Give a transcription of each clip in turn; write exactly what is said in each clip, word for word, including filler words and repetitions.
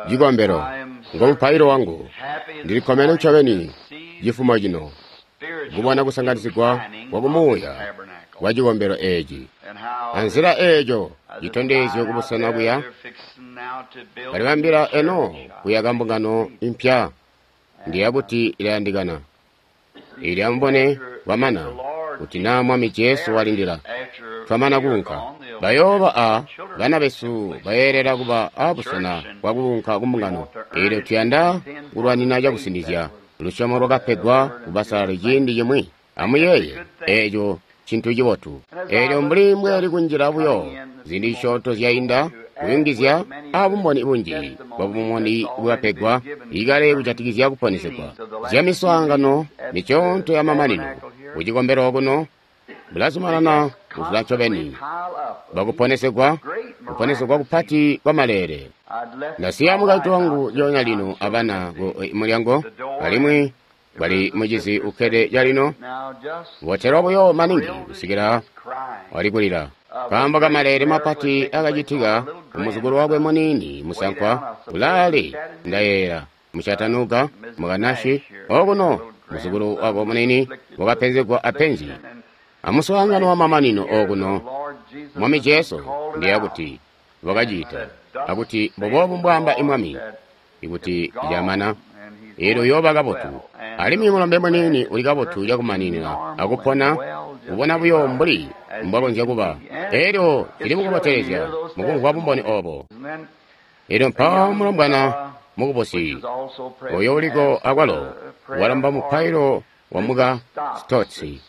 Cikombelo ngo mupailo wangu. Ndili kkomene ncobeni cifumo cino kubona kusanganizigwa kwa kumuuya kwa cikombelo eeci. Anzila eeco citondezyo kubusena kuya balibambila eno kuyaka mbungano impya ndiya kuti ilayandikana. Ili amubone kwamana kuti naa Mwami Jesu walindila twamana kuunka bayooba a bana besu bayeelela kuba abusena bwa kuunka kumbungano. Eelyo tuyanda kulwanina cakusinizya lusyomo lwakapegwa kubasalali ciindi cimwi. Amuyeeye eeco cintu cibotu. Eelyo mbuli mbweli kunjila buyo ziindi zisyoonto zyainda kuyungizya abumboni bunji bwa bumboni bwapegwa ikale kujatikizya kuponesegwa zyamiswaangano misyoonto yamamanino kucikombelo kuno bulazumanana kuzula ncobeni bwakuponesegwa kuponesegwa kupati kwa maleele. Ndasiya mukaintu wangu lyoonya lino abana ku mulyango alimwi bali mucizi ukkede calino botelwa buyo maningi kusikila wali kulila kaambo kamaleele mapati akacitika kumuzukulu wakwe muniini musankwa ulaale ndayeera muchatanuga mukanashi okuno muzukulu wako munini wakapenzegwa apenzi amuswaangano wa mamanino okuno Mwami Jesu ndiya kuti wakacita akuti mbuboobu mbwaamba imwami ikuti lyamana eelyo uyooba kabotu alimwi mulombe muniini uli kabotu cakumaninina akupona kubona buyo mbuli mbwakonzya kuba. Eelyo cili mukubotelezya mukumvwa bumboni oobo. Eelyo mpawo mulombwana mukubusi oyo uliko akwalo walomba mupailo wa muka Stotsi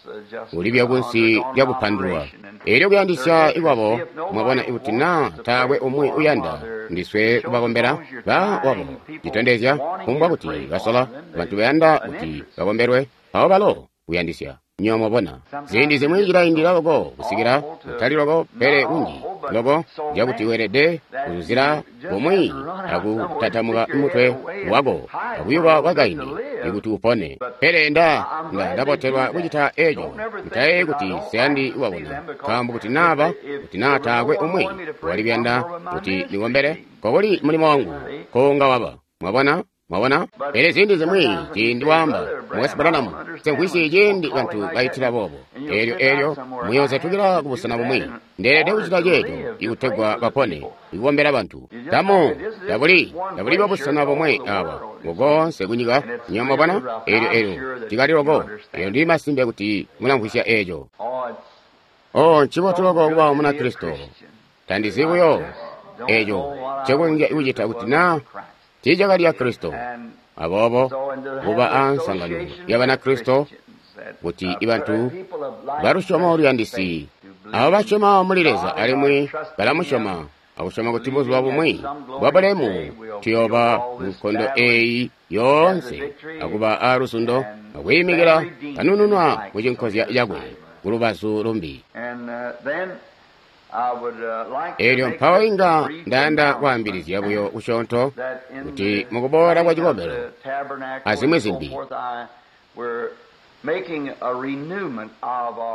ulibya kunsi lyakupandulwa. Eelyo kuyandisya ikwabo mwabona ikuti naa taakwe umwi uyanda ndiswe kubakombela ba wabo citondezya kumbwa kuti basola bantu bayanda kuti bakombelwe mpawo balo kuyandisya. Nyo mwabona ziindi zimwi cilaindila loko kusikila kutali loko pele kunji loko cakuti weelede kuzuzila kumwi akutatamuka mutwe wako akuyuba kwakaindi ikuti upone. Pele nda nga ndabotelwa kucita eco ntaye kuti siyandi wabona nkaambo kuti naaba kuti naa taakwe umwi wali kuyanda kuti ndikombele kokuli mulimo wangu konga waba. Mwabona? Mwabona? Pele ziindi zimwi ciindi waamba Mukwesu Branham semvwisi ciindi bantu baitila boobo. Eelyo eelyo muyoozetukila kubusena bumwi. Ndeelede kucita ceeco ikutegwa bapone ikukombela bantu. Tamu tabuli tabuli bwabusena bomwe awa ngokoonse kunyika. Nyo mwabona? Eelyo eelyo cikali loko. Eelyo ndili masimpe kuti mulamvwisya eeco. Oh, ncibotu loko kuba Munakristo. Tandizi buyo eeco ncekonzya kucita kuti naa tiicakali ya Kristo. Aboobo kuba ansangano ya Banakristo kuti ibantu balusyomo luyandisi abo basyoma muli Leza alimwi balamusyoma akusyoma kuti buzuba bumwi bwabulemu tuyooba munkondo eeyi yoonse akuba aaluzundo akwiimikila kanununwa mucinkozya cakwe kulubazu lumbi. Eelyo mpawo inga ndayanda kwaambilizya buyo kusyoonto kuti mukuboola kwa cikombelo azimwi zimbi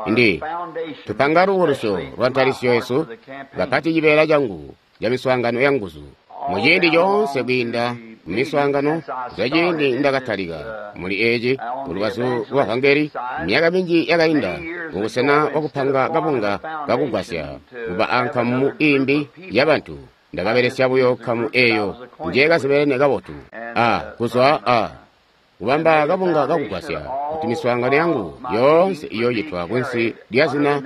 ndi tupanga lubukulusyo lwa ntalisyo yesu kapati cibeela cangu ca miswaangano ya nguzu muciindi coonse kwiinda mumiswaangano zwa ciindi ndakatalika muli eeci kulubazu lwa vangeli myaka minji yakainda mubusena bwakupanga kabunga kakugwasya kuba ankamu iimbi yabantu ndakabelesya buyo nkamu eeyo njeekazibelene kabotu a kuzwa a kubamba kabunga kakugwasya kuti miswaangano yangu yoonse iyoocitwa kunsi lya zina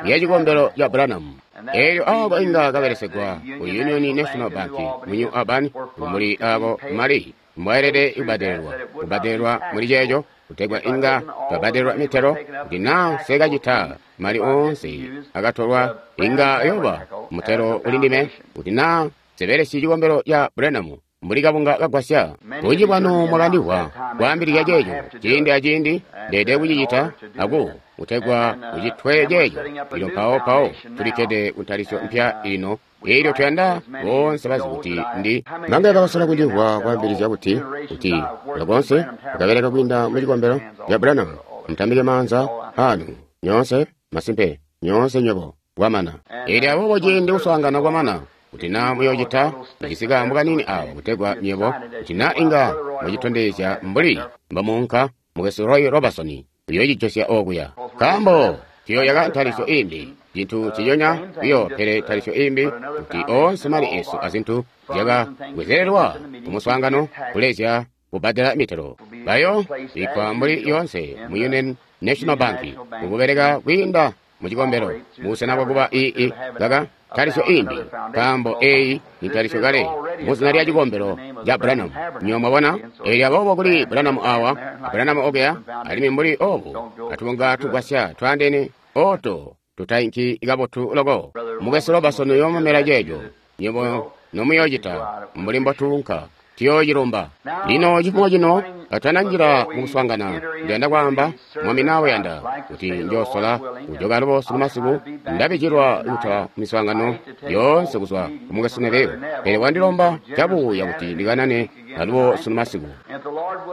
lya cikombelo ca Branham. Eelyo aako inga kabelesegwa ku Union National Bank mu New Albany muli aako mali mbwaelede kubbadelelwa kubbadelelwa muli ceeco kutegwa inga twabbadelelwa mitelo kuti naa nsekacita mali oonse akatolwa inga yoba mutelo uli ndime kuti naa nsebelesyi cikombelo ca Branham mbuli kabunga kagwasya. Bunji bwanu mwakandimvwa kwaambilizya ceeco ciindi aciindi ndeede kucicita aku kutegwa kucitwe ceeco. Lino mpawo mpawo tulikkede kuntalisyo mpya ino. Eelyo tuyanda boonse bazi kuti ndi manga bakasola kundimvwa kwaambilizya kuti kuti lokonse akabeleka kwiinda mu cikombelo ca Branham. Mutambike maanza anu nyoonse masimpe nyoonse nywebo kwamana. Elyo aboobo ciindi kuswaangana kwamana, kuti naa muyoocita, ndijisi kaambo kaniini awa kutegwa nywebo, kuti naa inga mwacitondezya mbuli mbomuunka, Mukwesu Roy Robertson uyoocijosya okuya. Nkaambo tuyooyaka ntalisyo imbi, cintu nciconya biyo pele ntalisyo imbi, kuti oonse mali esu azintu zyaka bwezelelwa ku muswaangano kulezya kubbadela mitelo. Bayo bikkwa mbuli yoonse mu Union National Bank, kukubeleka kwiinda mu cikombelo, mubusena bwakuba ii kaka ntalisyo imbi, nkaambo eyi ni ntalisyo kale muzina lya cikombelo ca Branham. Nywebo mwabona? Elyo aboobo kuli Branham awa, a Branham okuya, alimwi mbuli obu, atubunga tugwasya twaandeene oto tutainki kabotu loko. Mukwesu Robertson uyoomamela ceeco, nywebo nomuyoocita mbuli mbotuunka. Tuyoocilumba. Lino cifumo cino katananjila mukuswaangana, ndiyanda kwaamba, Mwami nawe uyanda, kuti njoosola kujoka alubo sunu masiku. Ndabijilwa kutola miswaangano yoonse kuzwa ku Mukwesu Neville, pele wandilomba cabuuya kuti ndikanane alubo sunu masiku.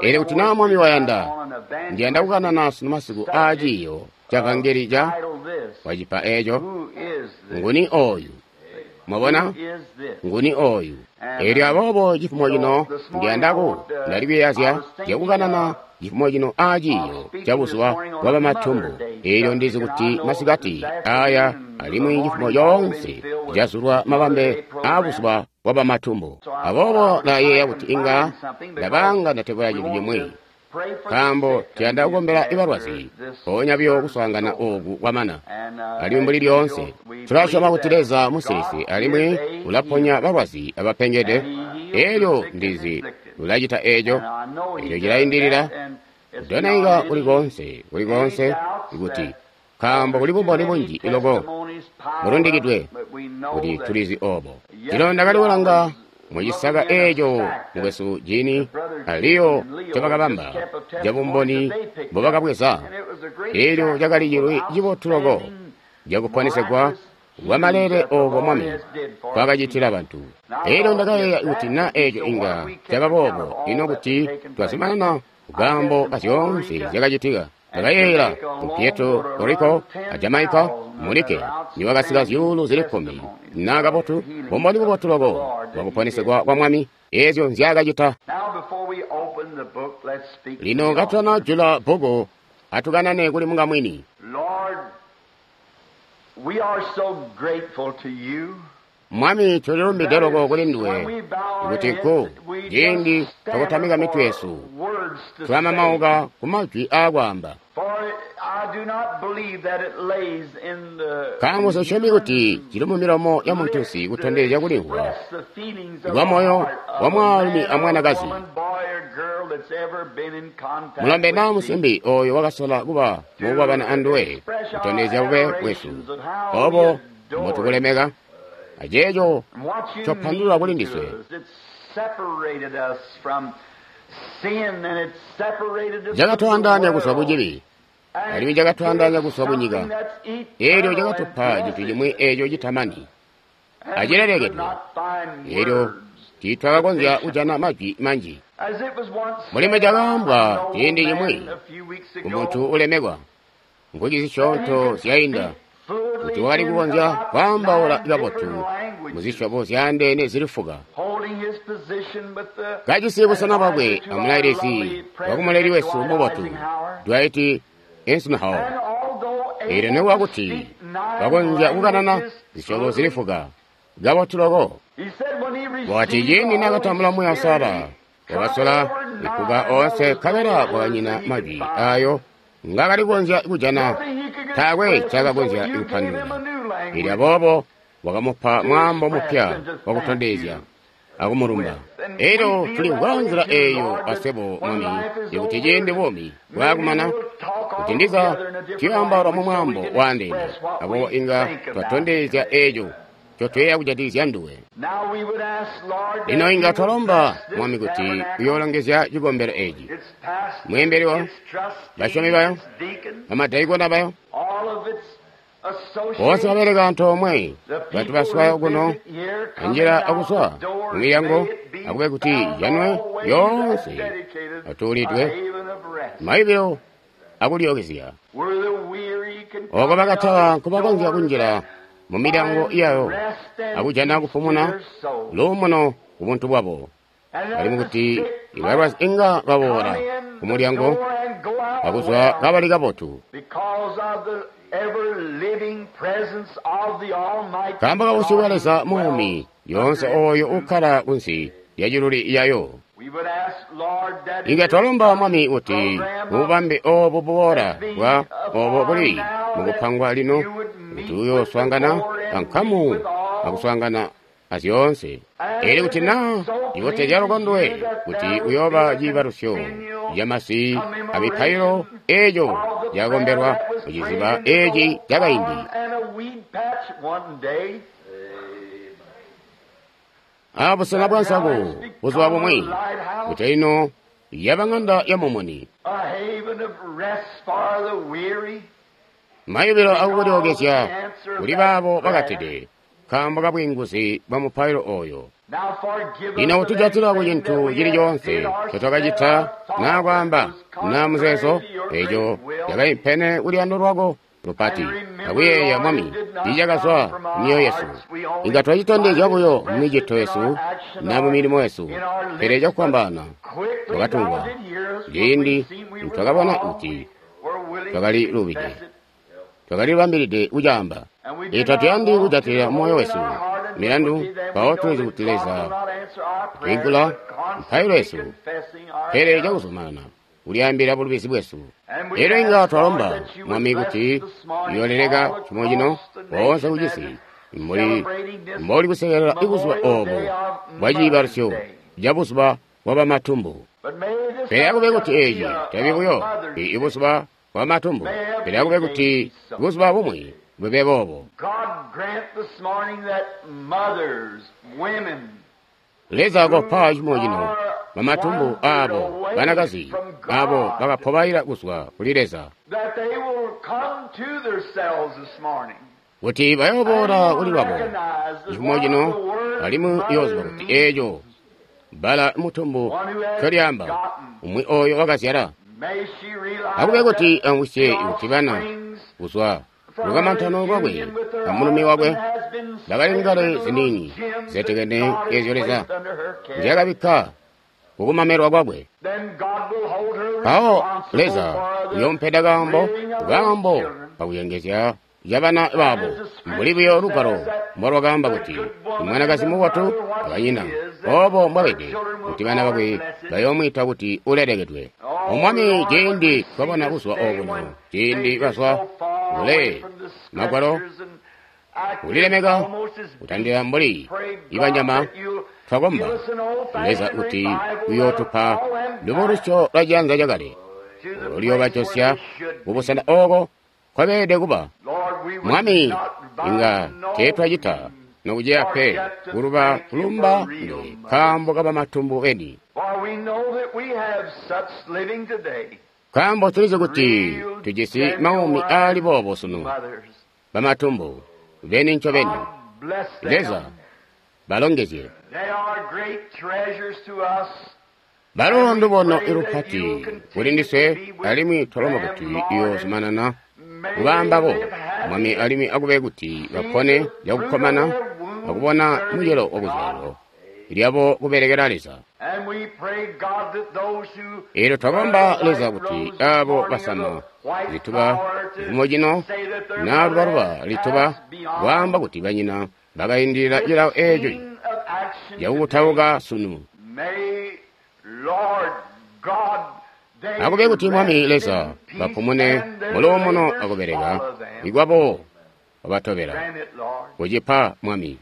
Elyo kuti naa Mwami wayanda, ndiyanda kukanana sunu masiku aa ciiyo ca vangeli ca wacipa eeco, nguni oyu? Mwabona? Nguni oyu? Elyo aboobo cifumo cino ndiyanda ku ndali kuyeeyazya zyakukanana cifumo cino aa ciiyo ca buzuba bwa bamatumbu. Elyo ndizi kuti masikati aya alimwi cifumo coonse cazulwa mabambe aa buzuba bwa bamatumbu. Aboobo ndayeeya kuti inga ndabanga ndatebula cintu cimwi, nkaambo tuyanda kukombela balwazi mpoonya biyo kuswaangana ooku kwamana. Alimwi mbuli lyoonse tulasyoma kuti Leza musilisi alimwi ulaponya balwazi abapengede. Elyo ndizi ulacita eeco. Elyo cilaindilila kudonaika kuli koonse, kuli koonse, kuti nkaambo kuli bumboni bunji loko bulundikidwe kuti tulizi oobo. Lino ndakali kulanga mucisaka eeco mukwesu Jini a Leo ncobakabamba cabumboni mbobakabweza. Elyo cakali cilwi cibotu loko cakuponesegwa kwa maleele ooko Mwami nkwakacitila bantu. Elyo ndakayeeya kuti naa eeco inga caba boobo, ino kuti twazumanana kukaambo kazyoonse zyakacitika. Ndakayeeyela ku Puerto Rico a Jamaica mulike niwakasika zyuulu zili kkumi naa kabotu, bumboni bubotu loko bwakuponesegwa kwa Mwami, eezyo nzyaakacita. Lino katutana jula bbuku, atukanane kuli mukamwini. Mwami, tulilumbide loko kuli nduwe kuti ku ciindi twakutamika mitwe yesu tulamamauka ku majwi aakwaamba. Nkaambo sosyomi kuti cili mu milomo ya muntunsi kutondezya kulimvwa kwa moyo wa mwaalumi amwanakazi, mulombe naa musimbi ooyo wakasola kuba mukukwabana anduwe, kutondezya bube bwesu obo mbotukulemeka aceeco copandulula kuli ndiswe. Cakatwaandaanya kuzwa kucibi, alimwi cakatwaandaanya kuzwa kunyika. Elyo cakatupa cintu cimwi eeco citamani acilelekedwe. Elyo tiitwakakonzya kujana majwi manji. Mulimo cakaambwa ciindi cimwi kumuntu ulemekwa mvwiki zisyoonto zyainda kuti wakali kukonzya kwaambaula kabotu muzisyobo zyaandeene zili fuka, kajisi busena bwakwe amulailisi wakumuleli wesu mubotu Dwight Eisenhower. Elyo nikuba kuti bakonzya kukanana zisyobo zili fuka kabotu loko, wakati ciindi naakatambula Muuya Uusalala, wakasola ikuka oonse nkabela kwakanyina majwi aayo ngaakali kukonzya kujana, taakwe ncaakakonzya kupandulula. Elyo aboobo wakamupa mwaambo mupya wakutondezya akumulumba. Elyo tulimvwa nzila eeyo aswebo, Mwami, ikuti ciindi buumi bwaakumana, kuti ndiza tuyoambaula mu mwaambo waandeene, aboobo inga twatondezya eeco ncotuyeeya kujatikizya nduwe. Lino inga twalomba, Mwami, kuti uyoolongezya cikombelo eeci, mweembeli wayo, basyomi bayo, bamadaikona bayo, boonse babeleka antoomwe, bantu baswayo kuno anjila akuswa mumilyango, akube kuti ijanwe yoonse atuulidwe maibilo akulyookezya. Ooko bakatala nkubakonzya kunjila mu milyango yayo akujana kupumuna luumuno ku buntu bwabo, alimwi kuti ibalwazi inga baboola ku mulyango akuzwa kabali kabotu. Nkaambo ka busyu bwa Leza muumi lyoonse ooyo ukkala kunsi lya ciluli yayo. Inga twalomba Mwami kuti mububambe oobu buboola bwa oobo buli mukupangwa lino, kuti uyooswaangana ankamu akuswaangana azyoonse. Elyo kuti naa cibotezya lukondwe kuti uyooba ciibalusyo camasi amipailo eeco cakombelwa muciziba eeci cakaindi. Abusena bwa nsaku buzuba bumwi, kuti ino yaba ŋanda ya mumuni, mayubilo akukulyookezya kuli baabo bakatede nkaambo ka bwiinguzi bwa mupailo ooyo. Lino kutujatila ku cintu cili coonse ncotwakacita naa kwaamba naa muzeezo eeco cakaimpene kuluyando lwako lupati akuyeeya Mwami icakazwa mumyoyo yesu. Inga twacitondezya buyo mumicito yesu naa mumilimo yesu, pele cakufwambaana twakatumvwa ciindi nitwakabona kuti twakali lubide, twakalibambilide kucaamba. Ee, tatuyandi kujatilila moyo wesu milandu, mpawo tulizi kuti Leza utwiingula mipailo yesu, pele cakuzumanana kulyaambila bulubizi bwesu. Elyo inga twalomba Mwami kuti uyooleleka cimo cino boonse kucisi mbuli mboli kusekelela ibuzuba oobo bwa ciibalusyo ca buzuba bwa bamatumbu. Pele akube kuti eeci tabi buyo ibuzuba bwa matumbu, pele akube kuti buzuba bumwi bube boobo. Leza kopa cimo cino bamatumbu aabo banakazi aabo bakapobaila kuzwa kuli Leza, kuti bayooboola kuli lwabo cifumo cino, alimwi iyooziba kuti eeco bbala mutumbu ncolyaamba umwi ooyo wakazyala. Akube kuti amvwisye kuti bana kuzwa lukamantano lwakwe amulumi wakwe bakali ngale ziniini zisetekene eezyo Leza nzyaakabikka kukumamelwa kwakwe. Mpawo Leza uyoompeda kaambo kaambo kakuyengezya cabana babo, mbuli buyo lugwalo mbolwakaamba kuti imwanakazi mubotu akanyina oobo mbwabede, kuti bana bakwe bayoomwiita kuti ulelekedwe. O Mwami, ciindi twabona buzuba obuno, ciindi bazwa kule magwalo kulilemeka kutandila mbuli ibanyama, twakomba Leza kuti uyootupa lubulusyo lwa cianza cakale oluyoobajosya kubusena ooko kwabeelede kuba. Mwami, inga teetwacita nokuceya pe kuluba kulumba nduwe nkaambo kabamatumbu beni, nkaambo tulizi kuti tujisi maumi aali boobo sunu, bamatumbu beni ncobeni. Leza balongezye. Balo ndubono ilupati kuli ndiswe, alimwi twalomba kuti iyoozumanana kubaambabo Mwami, alimwi akube kuti bapone cakukkomana akubona mucelo wakuzyalilo lyabo kubelekela Leza. Eelyo twakomba Leza kuti aabo basama zituba cifumo cino naa lubaluba lituba kwaamba kuti banyina bakaindilila cilawo eeco cakukutauka sunu. Akube kuti Mwami Leza bapumune muluumuno akubeleka ikwabo wabatobela. Kucipa Mwami.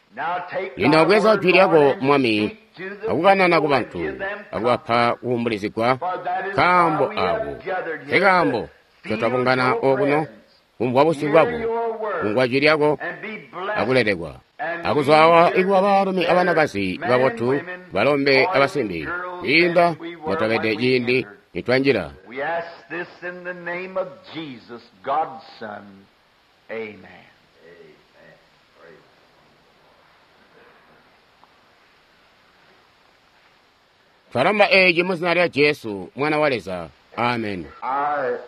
Lino bweza jwi lyako Mwami akukanana ku bantu akubapa kuumbulizigwa nkaambo aako nkekaambo ncotwabungana okuno kumvwa busyu bwako, kumvwa jwi lyako akulelekwa. Akuzwa awa ikuba baalumi abanakazi babotu, balombe abasimbi, kwiinda mbotwabede ciindi nitwanjila. We ask this in the name of Jesus, God's Son. Amen. Twalomba eeci mu zina lya Jesu, Mwana wa Leza. Amen. Our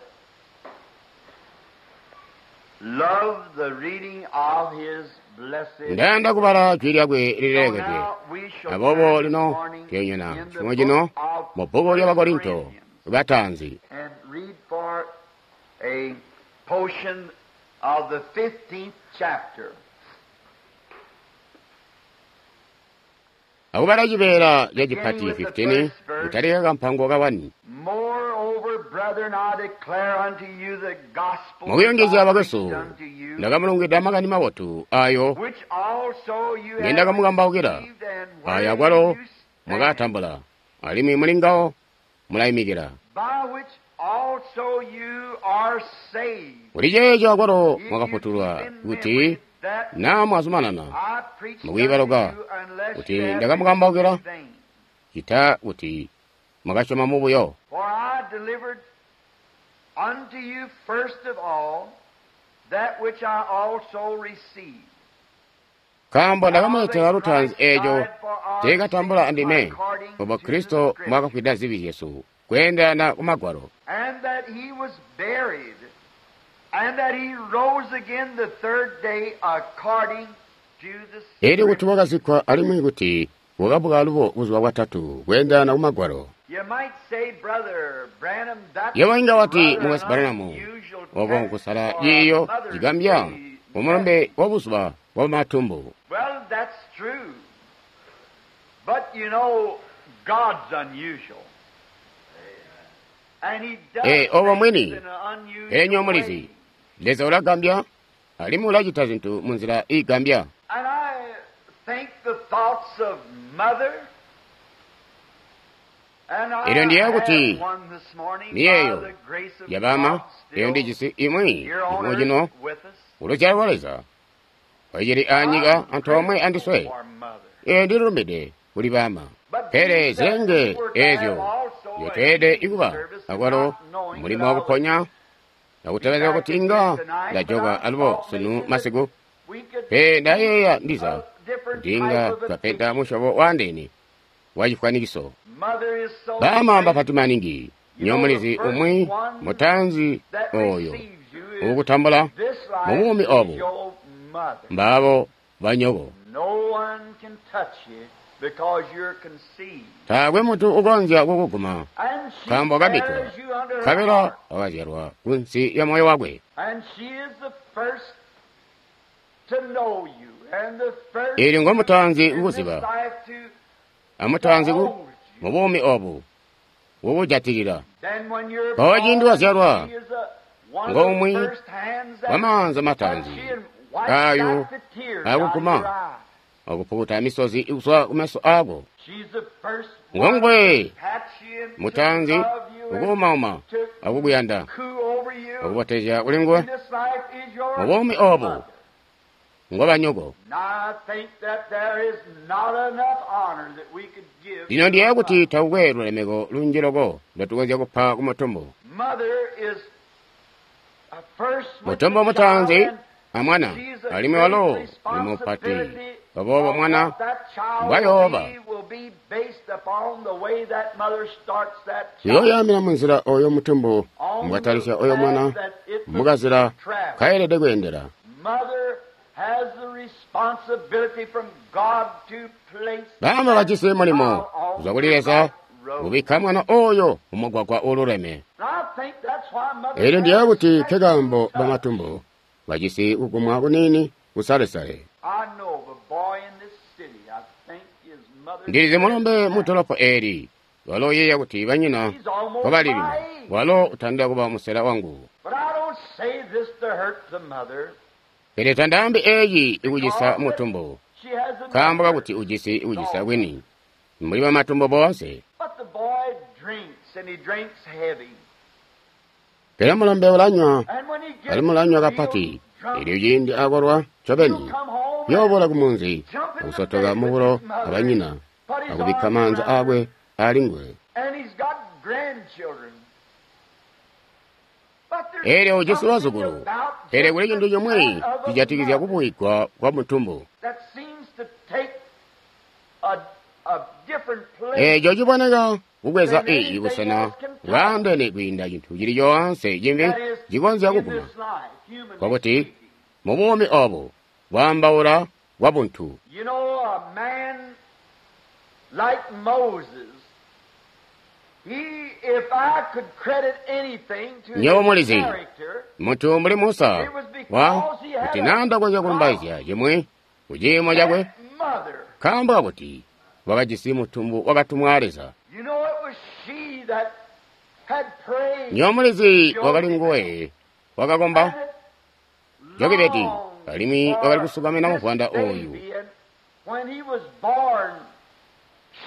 love the reading of His blessed Ndayanda kubala jwi lyakwe So lilelekedwe. now we shall Aboobo turn this lino morning tuyonyana in the chimwe chino book of mu bbuku lya Bakorinto Corinthians batanzi and read for a portion of the fifteenth chapter. Akubala cibeela ca cipati Beginning with the fifteen first verse. kutalika kampango ka one. Moreover, brethren, I declare unto you the gospel Mukuyongezya which I bakwesu, preached unto you, ndakamulungwida makani mabotu ayo which also you have ngendakamukambawukila, received and ayo wherein akwalo you stand, mwakatambula, alimwi muli ngawo mulayimikila. by which also you are saved. Kuli ceeco akwalo If you mwakafutulwa keep in kuti memory that naa mwazumanana I preached mukuyibaluka unto you, unless kuti you have ndakamukambawukila believed in vain. cita kuti mwakasyoma mubuyo. For I delivered unto you first of all that which I also received. Nkaambo ndakamuletela lutaanzi eeco teekatambula andime, obo Kristo mwakafwida zibi zyesu kweendelana ku Magwalo, And that he was buried, and that he rose again the third day according to the Elyo kuti Scripture. wakazikkwa alimwi kuti wakabuka alubo buzuba bwatatu kweendelana ku Magwalo. You might say, Brother Branham, that's Yewe inga wati rather mukasi an Branham, unusual oko text nkusala for a ciiyo Mother's cigambya Day mumulumbe message. wa buzuba bwa matumbu. Well, that's true. But you know, God's unusual. And he does Eh, obo things mwini, in an unusual pele nyowe mulizi, way. Leza ulagambya, alimwi ulacita zintu munzila iigambya. And I think the thoughts of mother. And I Elyo ndiyeeya have kuti one this morning by miyeeyo the grace of ya bama, God eyo still ndijisi imwi here on chimwe earth chino with us. uluzyalo lwa Leza icili anyika I'm antoomwe grateful andiswe. for mother. Ee ndilulumbide kuli bama. But Pele these that zilenge we were to eezyo have also a zyotweelede healing ikuba service, akwalo not knowing mulimo that I wakuponya would nakutebeleza be kuti back inga again tonight, but ndajoka I alubo thought sunu maybe that masiku. we could Pe ndayeeya see ndiza a different kuti inga type of a twapeta picture. musyobo waandeene wa chifwanikiso. Mother is so Bama great. mbapati maningi, You nyowe know, the mulizi first umwi one mutanzi that oyo receives you in ukutambula this life mubuumi is obu your mother. mbaabo banyoko. No one can touch you because you're conceived. Taakwe muntu ukonzya kukuguma And she nkaambo kabikwa, bears you under her nkabela heart. wakazyalwa kunsi ya moyo wakwe. And she is the first to know you and the first Eelyo to, ngomutanzi in this kukuziba, life to amutanzi ku hold you. mubuumi obu kukujatilila. Then when you're Mpawo ciindi born, wazyalwa, she is a, one of the ngomwi first hands that wamaanza touch matanzi you and wipes ayo back the tears out of your akuguma eye. akupukuta misozi ikuzwa kumeso ako. She's the first one Ngongwe to pat you and to mutanzi love you and ukuumauma to akukuyanda coo over you. akubotezya kuli nguwe In this life is your mubuumi obu mother. ngobanyoko. And I think that there is not enough honor that we could give Lino to a ndiyeeya kuti mother. takukwe lulemeko lunji loko lwetukonzya kupa ku mutumbu. Mother is a first with Mutumbu the mutanzi child, and amwana she's a alimwi great walo ni mupati. responsibility Aboobo of mwana what that child will mbwayooba be will be based upon the way that mother starts that child uyoyaamina munzila oyo mutumbu on the mbwatalisya oyo mwana path that it must mukazila travel. kayelede kweendela. Mother has the responsibility from God to place Bama that bajisi mulimo child on kuzwa kuli the Leza right road. kubikka mwana oyo mumugwagwa ululeme. And I think that's why mother Elyo has ndiyeeya a kuti special nkekaambo touch. bamatumbu bajisi kugumwa kuniini kusalesale. I know of a boy in this city. I think his mother Ndilizi said mulombe mu that dolopo eli walo uyeeya kuti banyina he's almost nkobali my lino age. walo utandila kuba musela wangu. But I don't say this to hurt the mother Pele tandaambi eeyi ikucisa because mutumbu she has enough nkaambo hurt kakuti ujisi ikucisa also. kwini mbuli bamatumbu boonse. But the boy drinks, and he drinks heavy. Pele mulombe ulanywa And when he gets alimwi ulanywa real kapati drunk, elyo ciindi akolwa he'll ncobeni come home and yooboola kumunzi jump in the akusotoka bed with mubulo his mother and abanyina put his akubikka arms maanza around her. aakwe ali nguwe. And he's got grandchildren. But there's Elyo ujisi something lwazukulu about pele just kuli the cintu chomwe touch of a cijatikizya mother kubuigwa kwa mutumbu that seems to take a, a different place eeco ciboneka kukweza than iyi anything busena else can touch. bwaandene kwiinda cintu cili coonse cimbi That is, cikonzya in kuguma this life. Nkokuti, mu buumi obo, bwaambaula bwa buntu. You know, a man like Moses, he, if I could credit anything to Nyobo his mulizi. character, Muntu mbuli Musa, wa kuti nanda konzya kulumbaizya cimwi ku ciimo cakwe, that mother, nkaambo kakuti wakajisi mutumbu wakatumwa a Leza. you know, it was she that had prayed. Nyobo mulizi wakali nguwe wakakomba and Jokebedi, longed alimwi for wakali kusukamina this muvwanda oyu. baby, and when he was born,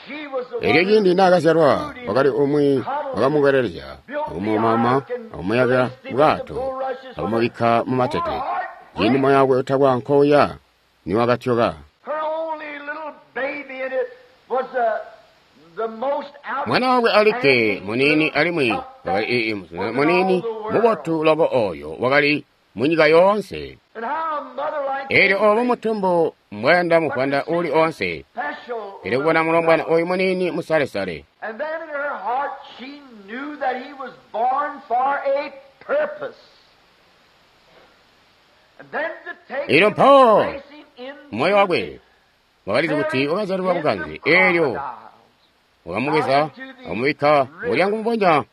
she was the Elyo one ciindi who naakazyalwa brewed him wakali and umwi cuddled him, wakamukwelelezya built the akumumama ark and akumuyakila placed him in the bwato bulrushes akumubikka mu matete. Her heart Ciindi break. moyo wakwe utakwa nkouya niwakatyoka. Her only little baby, and it was the, the most Mwana wakwe alikke outstanding muniini little alimwi pup wakali that ii was in all muniini the world. mubotu loko oyo wakali mu nyika yoonse. And how a mother like Elyo obo anything mutumbu mbwayanda muvwanda uli onse, special pele kubona mulombwana oyu muniini musalesale. And then in her heart she knew that he was born for a purpose. And then to take Elyo him mpawo and place him in moyo wakwe wakalizi kuti wakazyalilwa bukanze, elyo crocodiles. wakamubweza akumubikka mulyango mubonya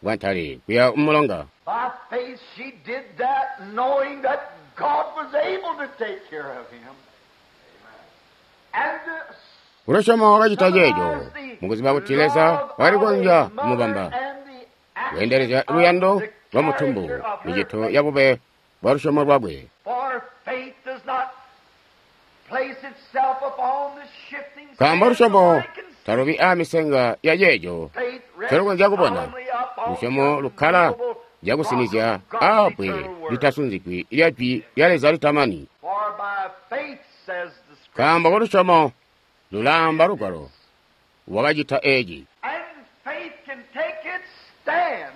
bwa ntale kuya mumulonga. By faith she did that knowing that God was able to take care of him. And to Kulosyoma wakacita ceeco summarize the mukuziba kuti Leza love wakali of a kukonzya mother kumubamba and the kuyendelezya action luyando of the lwa mutumbu character of her micito faith. ya bube bwa lusyomo lwakwe. For faith does not place itself upon the shifting Nkaambo sands of lusyomo what it can see. talubi aamisenga ya ceeco Faith rests ncelukonzya kubona. solemnly upon Lusyomo the lukkala unmovable cakusinizya rock of God's aabwe eternal word. litasunzikwi lya jwi lya Leza litamani. For by faith, says the Scripture, Nkaambo kulusyomo lulaamba lugwalo wakacita eeci. and faith can take its stand.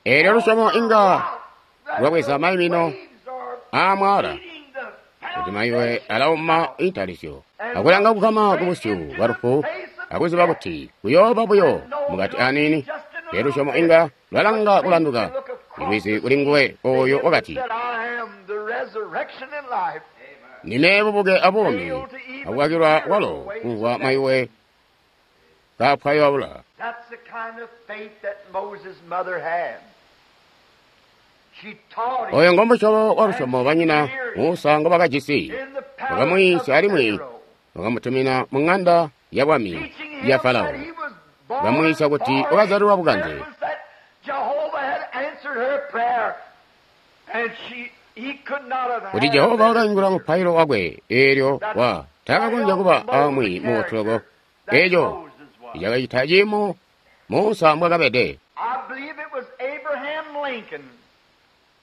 Eelyo lusyomo inga That lwabweza the maimino waves are aamwala beating the kuti maiwe foundation alauma out. intalisyo akulanga kukama ku busyu bwa lufu akuziba kuti kuyooba buyo mukati aniini. Lero lusyomo inga lwalanga kulanduka lwizi kuli nguwe oyo wakati That I am the resurrection and life. nine bubuke abuumi akukakilwa kwalo kumvwa maiwe kaapwayoabula. That's the kind of faith that Moses' mother had. She taught him Oyo ngomusyobo wa lusyomo banyina Musa ngo bakajisi in the palace of bakamwiisya alimwi Pharaoh, bakamutumina mu ng'anda ya bwami teaching him ya Farao. that he was born Bakamwiisya kuti for a wakazyalilwa bukanze. purpose, that Jehovah had answered her prayer, and she, he could not have kuti had Jehova a better wakayingula teacher. mupailo wakwe eelyo wa takakonzya kuba amwi muutuloko That eeco Moses was. cakacita ciimo Musa mbwakabede. I believe it was Abraham Lincoln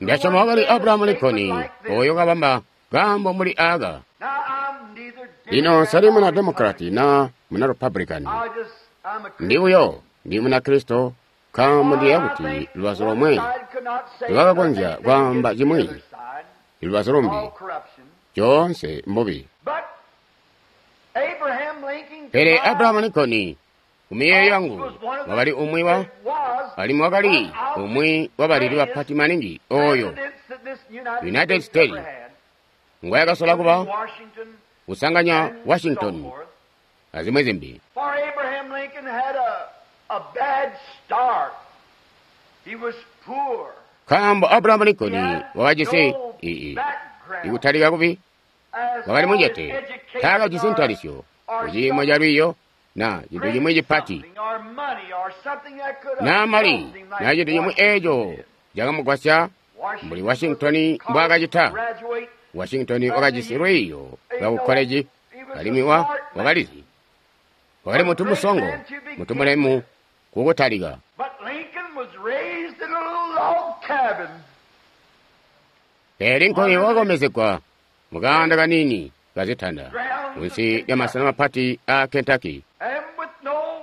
Ndasyoma wakali Abrahamu Lincoln oyo kabamba kaambo muli aka. Now, I'm neither Lino Democrat sali nor muna Republican. Democrat na muna Republican. I just, I'm a Ndi buyo ndi muna Kristo nkaambo ndiyeeya kuti lubazu lomwe lwakakonzya kwaamba cimwi lubazu lumbi coonse mbubi. Pele Abrahamu Lincoln kumiyeeyo yangu wakali umwi wa alimwi wakali umwi wa baleli bapati maningi oyo United States ngwayakasola kuba kusanganya Washington azimwi zimbi. For Abraham Lincoln had a, a bad start. He was poor. Nkaambo Abrahamu He Lincoln had wakajisi no ii background ikutalika kubi as wakali far as mucete education taakajisi or, ntalisyo or kuciimo ca lwiiyo na cintu great cimwi cipati something or money or something that could have na mali helped him like na cintu cimwi Washington eeco did. cakamugwasya mbuli Washington was a Washington college mbwaakacita. graduate. Washington wakajisi lwiiyo lwa ku koleji He was a alimwi wa smart man. wakalizi wakali A mutu great musongo man to mutu begin mulemu with. kukutalika. But Lincoln was raised in a little log cabin. Pele Lincoln Under the wakakomezegwa mukaanda kanini kazitanda grounds of munsi lya Kentucky. masena mapati a Kentucky And with no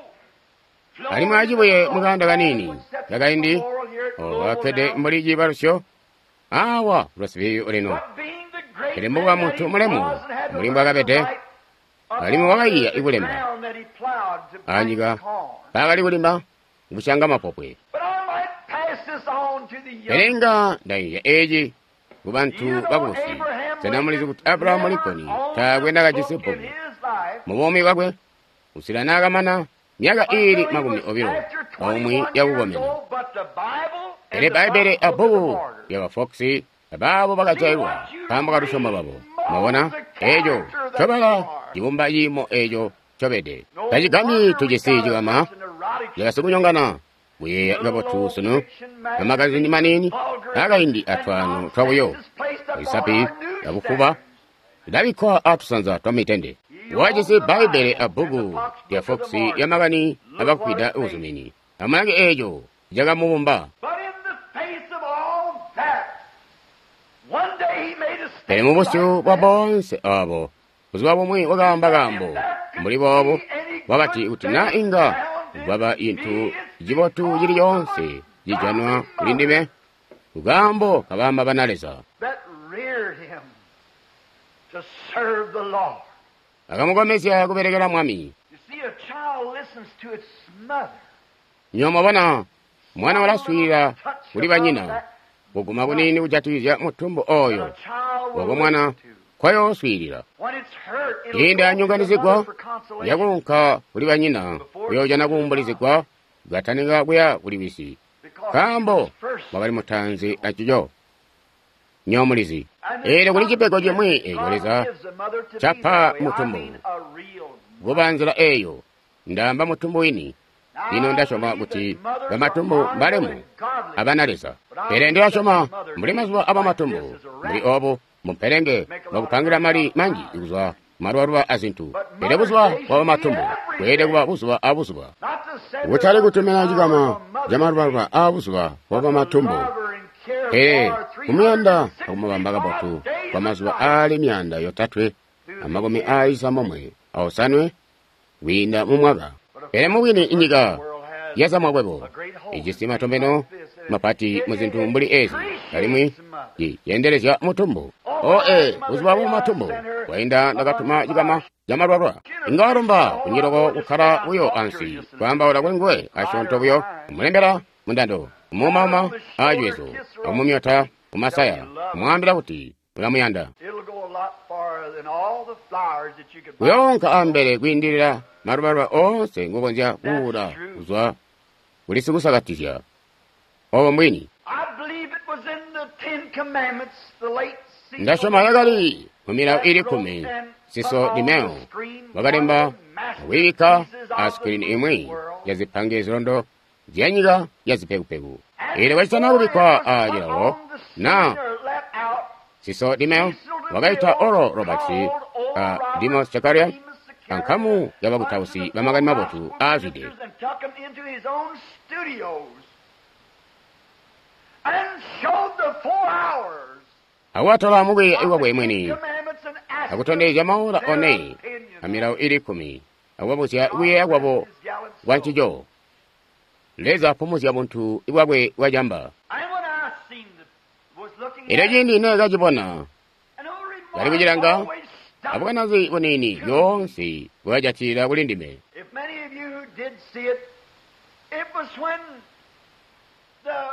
alimwi flooring but acibuye a mukaanda log wall kanini which sets the kakaindi memorial here at Louisville okakkede now. mbuli ciibalusyo awa lwasibiyo lino. But being the great Pele man mbuba that muntu he mulemu was and had to mbuli learn to mbwakabede write alimwi upon wakayiya the ikulemba ground that he plowed to plant anyika corn. paakali kulima kusyanga mapopwe. But I might pass this on Pele nga ndayiya eci ku bantu bakubusi. Sena mulizi kuti Abrahamu Lincoln taakwe nakajisi bbuku mu buumi bwakwe kusila naakamana myaka iili makumi obilo aumwi yakukomena. Pele Bbaibbele abbuku lyaba Fox abaabo bakajailwa nkaambo kalusyomo lwabo. Mwabona eeco ncobala cibumba ciimo eeco ncobede. Tacigambyi tujisi cikama cakasikunyongana kuyeeya kabotu sunu amagazini maniini akaindi atwaano twabuyo isapi yabufuba ilabikkwa atusanza twa mitende. Wajisi Bbaibbele abbuku lya Fox lya makani abakwida uzumini. Amulange eeco cakamubumba. Pele mubusyu bwa boonse aabo, buzuba bumwi wakaamba kaambo mbuli boobo, wakati kuti naa inga kwaba cintu cibotu cili coonse cijanwa kuli ndime, kukaambo kabaamba bana Leza. Akamukomezya kubelekela Mwami. Nywebo mwabona, mwana ulaswiilila kuli banyina, kuguma kuniini kujatikizya mutumbu oyo wako mwana kwayooswiilila. Ciindi anyonganizigwa yakuunka kuli banyina kuyoojana kuumbulizigwa katanika kuya kuli wisi, nkaambo wakali mutaanzi acico. Nywebo mulizi, eelyo kuli cipego cimwi eeco Leza capa mutumbu kuba nzila eeyo. Ndaamba mutumbu wini. Lino ndasyoma kuti bamatumbu mbalemu abana Leza, pele ndilasyoma mbuli mazuba abamatumbu mbuli oobu mumpelenge bwakupangira mali manji kuzwa malubaluba azintu. Pele buzuba bwa bamatumbu bweelede kuba buzuba abuzuba, kutali kutumina cikama camalubaluba aabuzuba bwa bamatumbu, pele kumuyanda akumubamba kabotu kwa mazuba aali myaanda yotatwe amakumi aali cisambomwe aosanwe kwiinda mumwaka. Pele mubwini inyika yazamakwebo ijisi matombeno mapati muzintu mbuli ezi, alimwi ciyeendelezya mutumbu. Oe buzuba bwa matumbu bwainda ndakatuma cikama camalwalwa. Inga walomba kunyiloko kukkala buyo ansi kwaambaula kuli nguwe asyoonto buyo, kumulembela mundando, kumuumauma aacwezo, akumumyota kumasaya, kumwaambila kuti ulamuyanda. Kuyoonka ambele kwiindilila malubaluba oonse ngokonzya kuula kuzwa kuli sikusakatizya. Obo mbwini. Ndasyoma yakali mu milawo ili kkumi Siso Dimeo wakalemba akwiibikka a sikirini imwi ya zipange zilondo zyanyika ya zipekupeku. Eelyo kacitana kubikkwa a cilawo na Siso Dimeo wakaita Oral Roberts a Demos Shakarian ankamu yabakutausi bamakani mabotu aazwide. Awatola mukwiiya iwakwe mwini akutondezya maola one amilawo ili kkumi akubabuzya kuyeeya kwabo kwa ncico. Leza apumuzya buntu bwakwe bwacamba. Elyo ciindi neekacibona kali kucilanga, abukanazi buniini lyoonse bwakajatilila kuli ndime.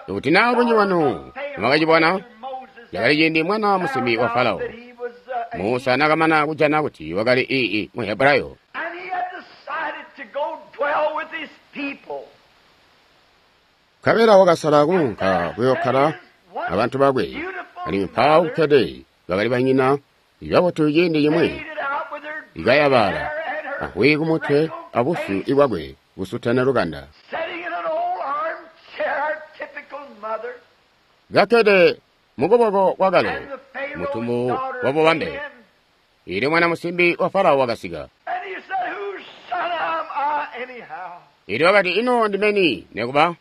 Kuti naa bunji bwanu mwakacibona, cakali ciindi mwana musimbi wa Farao Musa naakamana kujana kuti wakali ii mu Hebrayo, nkabela wakasala kuunka kuyookkala abantu bakwe, alimwi mpaawo kukkede bakali banyina babotu ciindi cimwi ikayabala ahwi kumutwe abusyu bwakwe busutana lukanda, kakkede mukuboko kwakale mutumbu wa bubambe. Ili mwana musimbi wa Farao wakasika. Ili wakati, ino ndimeni nekuba?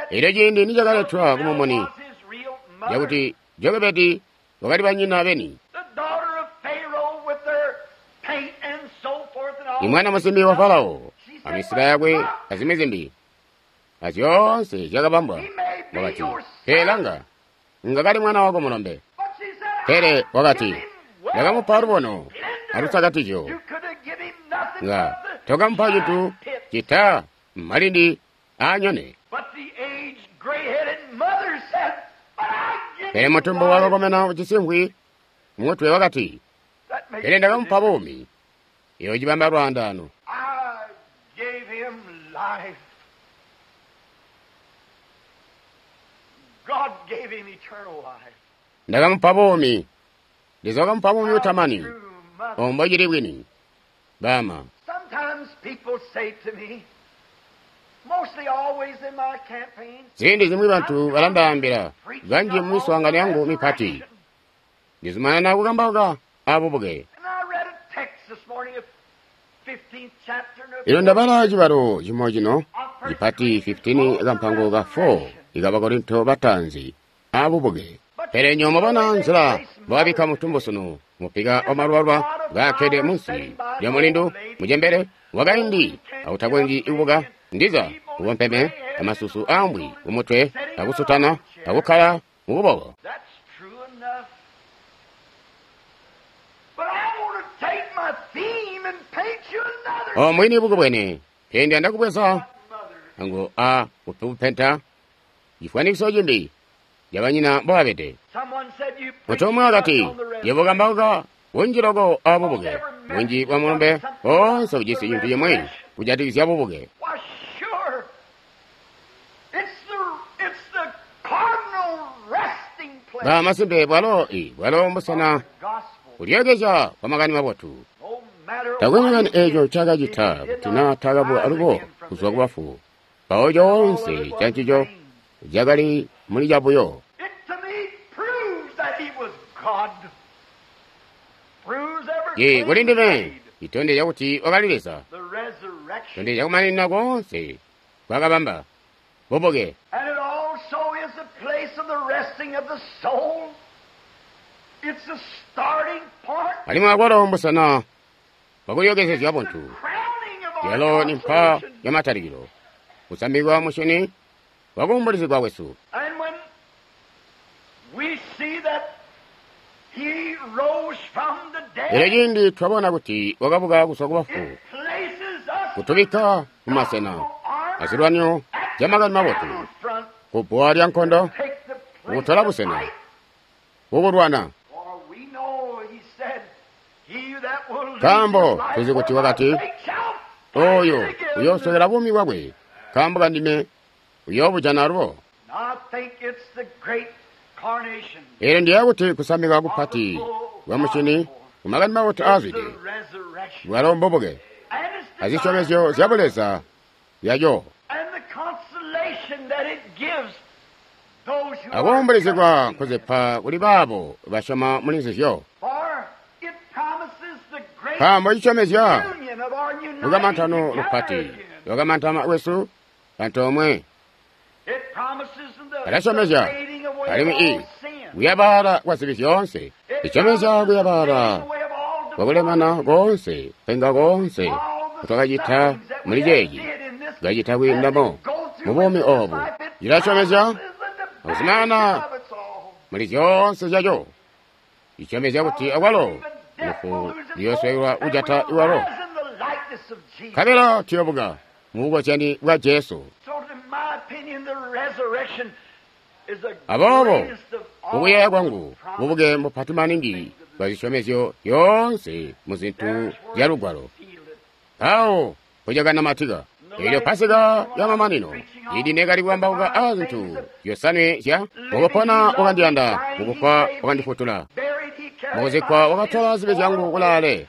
Elyo ciindi nicakaletwa kumumuni yakuti Jokebedi wakali banyina beni, imwana musimbi wa Farao amisila yakwe azimwi zimbi azyoonse zyakabambwa, wakati, pele langa, ngakali mwana wako mulombe. Pele wakati, ndakamupa lubono alusakatizyo, nga tokamupa cintu cita malindi aanyone. Pele mutumbu wakakomena ujisi mvwi mutwe wakati, That makes pele ndakamupa a difference. buumi. Iyo cibamba lwaandaano. I gave him life. God gave him eternal life. Ndakamupa buumi. Leza wakamupa buumi butamani. True mother. Obo mbocili bwini. Bama. Sometimes people say to me, mostly always in my campaigns, Ziindi zimwi bantu balandaambila kanji mu miswaangano yangu mipati. Ndizumanana kukambauka abubuke. And I read a text this morning of fifteenth chapter and Ilo ndabala cibalo cimo cino cipati fifteen kampango ka four ikabakorinto batanzi abubuke. Pele nyo mubona nzila mbwabikka mutumbu sunu mupika wa malubaluba ngakkede munsi lya mulindu mujembere wakaindi autakwenji kubuka ndiza ubompeme amasusu ambwi kumutwe akusutana akukkala mukuboko. That's true enough. But I want to take my theme and paint you another O mwini buku bwene pele ndiyanda kubweza mother. ango a kupenta chifwanikiso chimbi yabanyina mbwabede. Someone said you preach Mutumwa too much akati on the resurrection. yebo kambauka bunji loko abubuke bunji bwa mulumbe bonse bujisi cintu chimwe kujatikizya bubuke. Why, sure. It's the, it's the cardinal resting place Ba masimpe bwalo i bwalo mbusena of the gospel. kulyekezya kwa makani mabotu. No matter Takwe what makani he did, eco ncaakacita if he did kuti not naa takabuka rise alubo again from kuzwa the dead, kubafu mpawo coonse cancico cakali muli cabuyo. It to me proves that he was God. Proves every Ye claim kuli he ndime made. itondezya kuti wakali Leza The resurrection. tondezya kumaninina koonse kwakabamba bubuke. And it also is the place of the resting of the soul. It's the starting point. Alimwi akwalo mbusena bwakulyokezezya The buntu. crowning of our Yalo ni mpa consolation. ya matalikilo kusambikwa mushini wakuumbulizigwa kwesu. And when we see that he rose from the Lero dead, ciindi twabona kuti wakabuka kuzwa kubafu it places us kutubikka mu masena gospel armor azilwanyo at zya makani the mabotu battlefront. kubbuwa lya nkondo Take the place kutola of busena fight. kukulwana. For we know, he said, he that will lose Nkaambo his life tuzi kuti for my wakati, sake shall find oyo it again. uyooswekela buumi bwakwe nkaambo kandime uyoobujana alubo. And I think it's the great carnation. Eelyo ndiyeeya kuti kusambika kupati kwa mushini kumakani mabotu It's the aazwide resurrection. bwalo mbubuke And it's azisyomezyo divine zya buleza zyaco and the consolation that it gives those who are akuumbulizigwa trusting. nkuzipa kuli baabo basyoma muli nzizyo. For it promises the great Nkaambo cisyomezya union of our uniting lukamantano together lupati again. lwakamantana kwesu antoomwe It promises the, the alasyomezya fading away of alimwi all i sin. kuyabaala kwa zibi zyoonse It isyomezya promises the kuyabaala fading away of all kwakulemana deformity, koonse kupenga koonse all the kutwakacita sufferings that we muli have ceeci did in this kacita as kwiindamo we go through mu buumi with this obu life, it cilasyomezya promises the akuzimaana vanishing of it all. muli zyoonse zyaco isyomezya kuti akwalo lufu luyoswekelwa kujata iwalo nkabela tuyobuka mu bukozyani bwa Jesu. Aboobo kukuyeeya kwangu bubuke mbupati maningi bwa zisyomezyo zyoonse mu zintu zya Lugwalo. Mpawo mpocakanamatika eelyo Pasika ya mamanino ili nekali kukambauka a zintu zyosanwe zya mukupona wakandiyanda, mukufwa wakandifutula, mukuzikkwa wakatola zibi zyangu kulaale,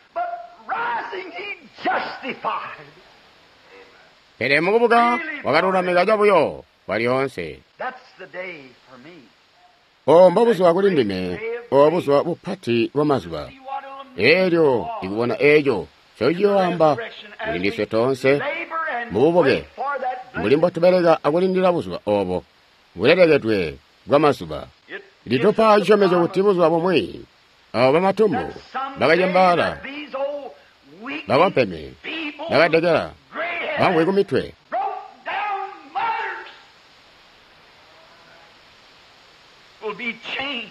pele mukubuka wakalulamika cabuyo kwalyoonse. Obo mbobuzuba kuli ndime, obo buzuba bupati bwamazuba. Eelyo ndikubona eeco ncociyoamba kuli ndiswe toonse mububuke mbuli mbotubeleka akulindila buzuba obo bulelekedwe bwamazuba. Litupa cisyomezyo kuti buzuba bumwi abo bamatumbu bakacembaala, bakompeme, bakadekela, bamwi kumitwe Will be changed.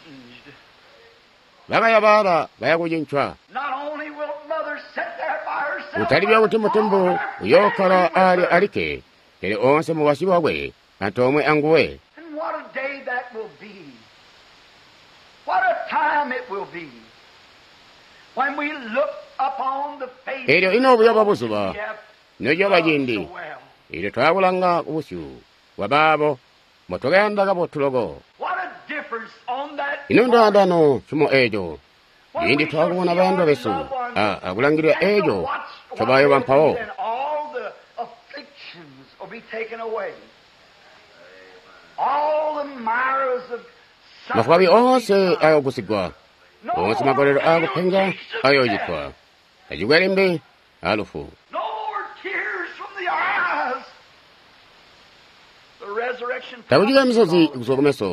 bakayabaala baya kucincwa. Not only will mother sit there by herself, Kutali buyo kuti mutumbu uyookkala ali alikke, pele onse mukwasyi wakwe antoomwe anguwe. And what a day that will be. Elyo ino buyoba buzuba nociyoba ciindi elyo twaakulanga kubusyu bwa baabo mbotwakayanda kabotu loko. Ino ndaandano cimo eeco ciindi twaakubona bayandwa besu a akulangilila eeco ncobayoba mpawo. Mafwabi oonse ayoogusigwa, oonse magolelo aakupenga ayoocitwa, tacikwe limbi alufu. Takucika misozi kuzwa kumeso,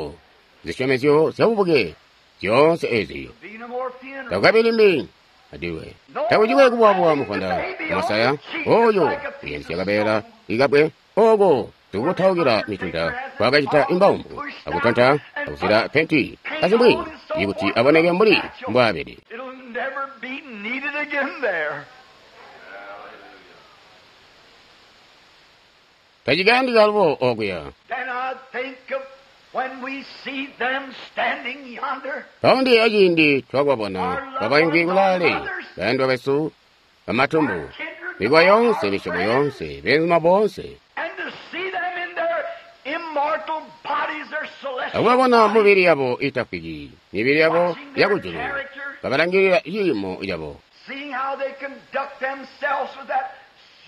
zisyomezyo zyabubuke zyoonse ezi takukabi limbi adilwe. Takucikwe kubuwabuwa mufwanda masaya oyo uyandisya kabeela ikabwe oko tukutaukila mitunda kwakacita imbawumbu akutonta akusila penti azimwi ikuti aboneke mbuli mbwaabede. Tacikayandika alubo okuya. Mpawo ndiyeeya ciindi twakubabona kabaimvwi kulaale bayandwa besu bamatumbu, mikowa yoonse, misyobo yoonse, beenzuma boonse, akubabona mibili yabo iitafwiki, mibili yabo yakujulu, kabalangilila ciimo cabo,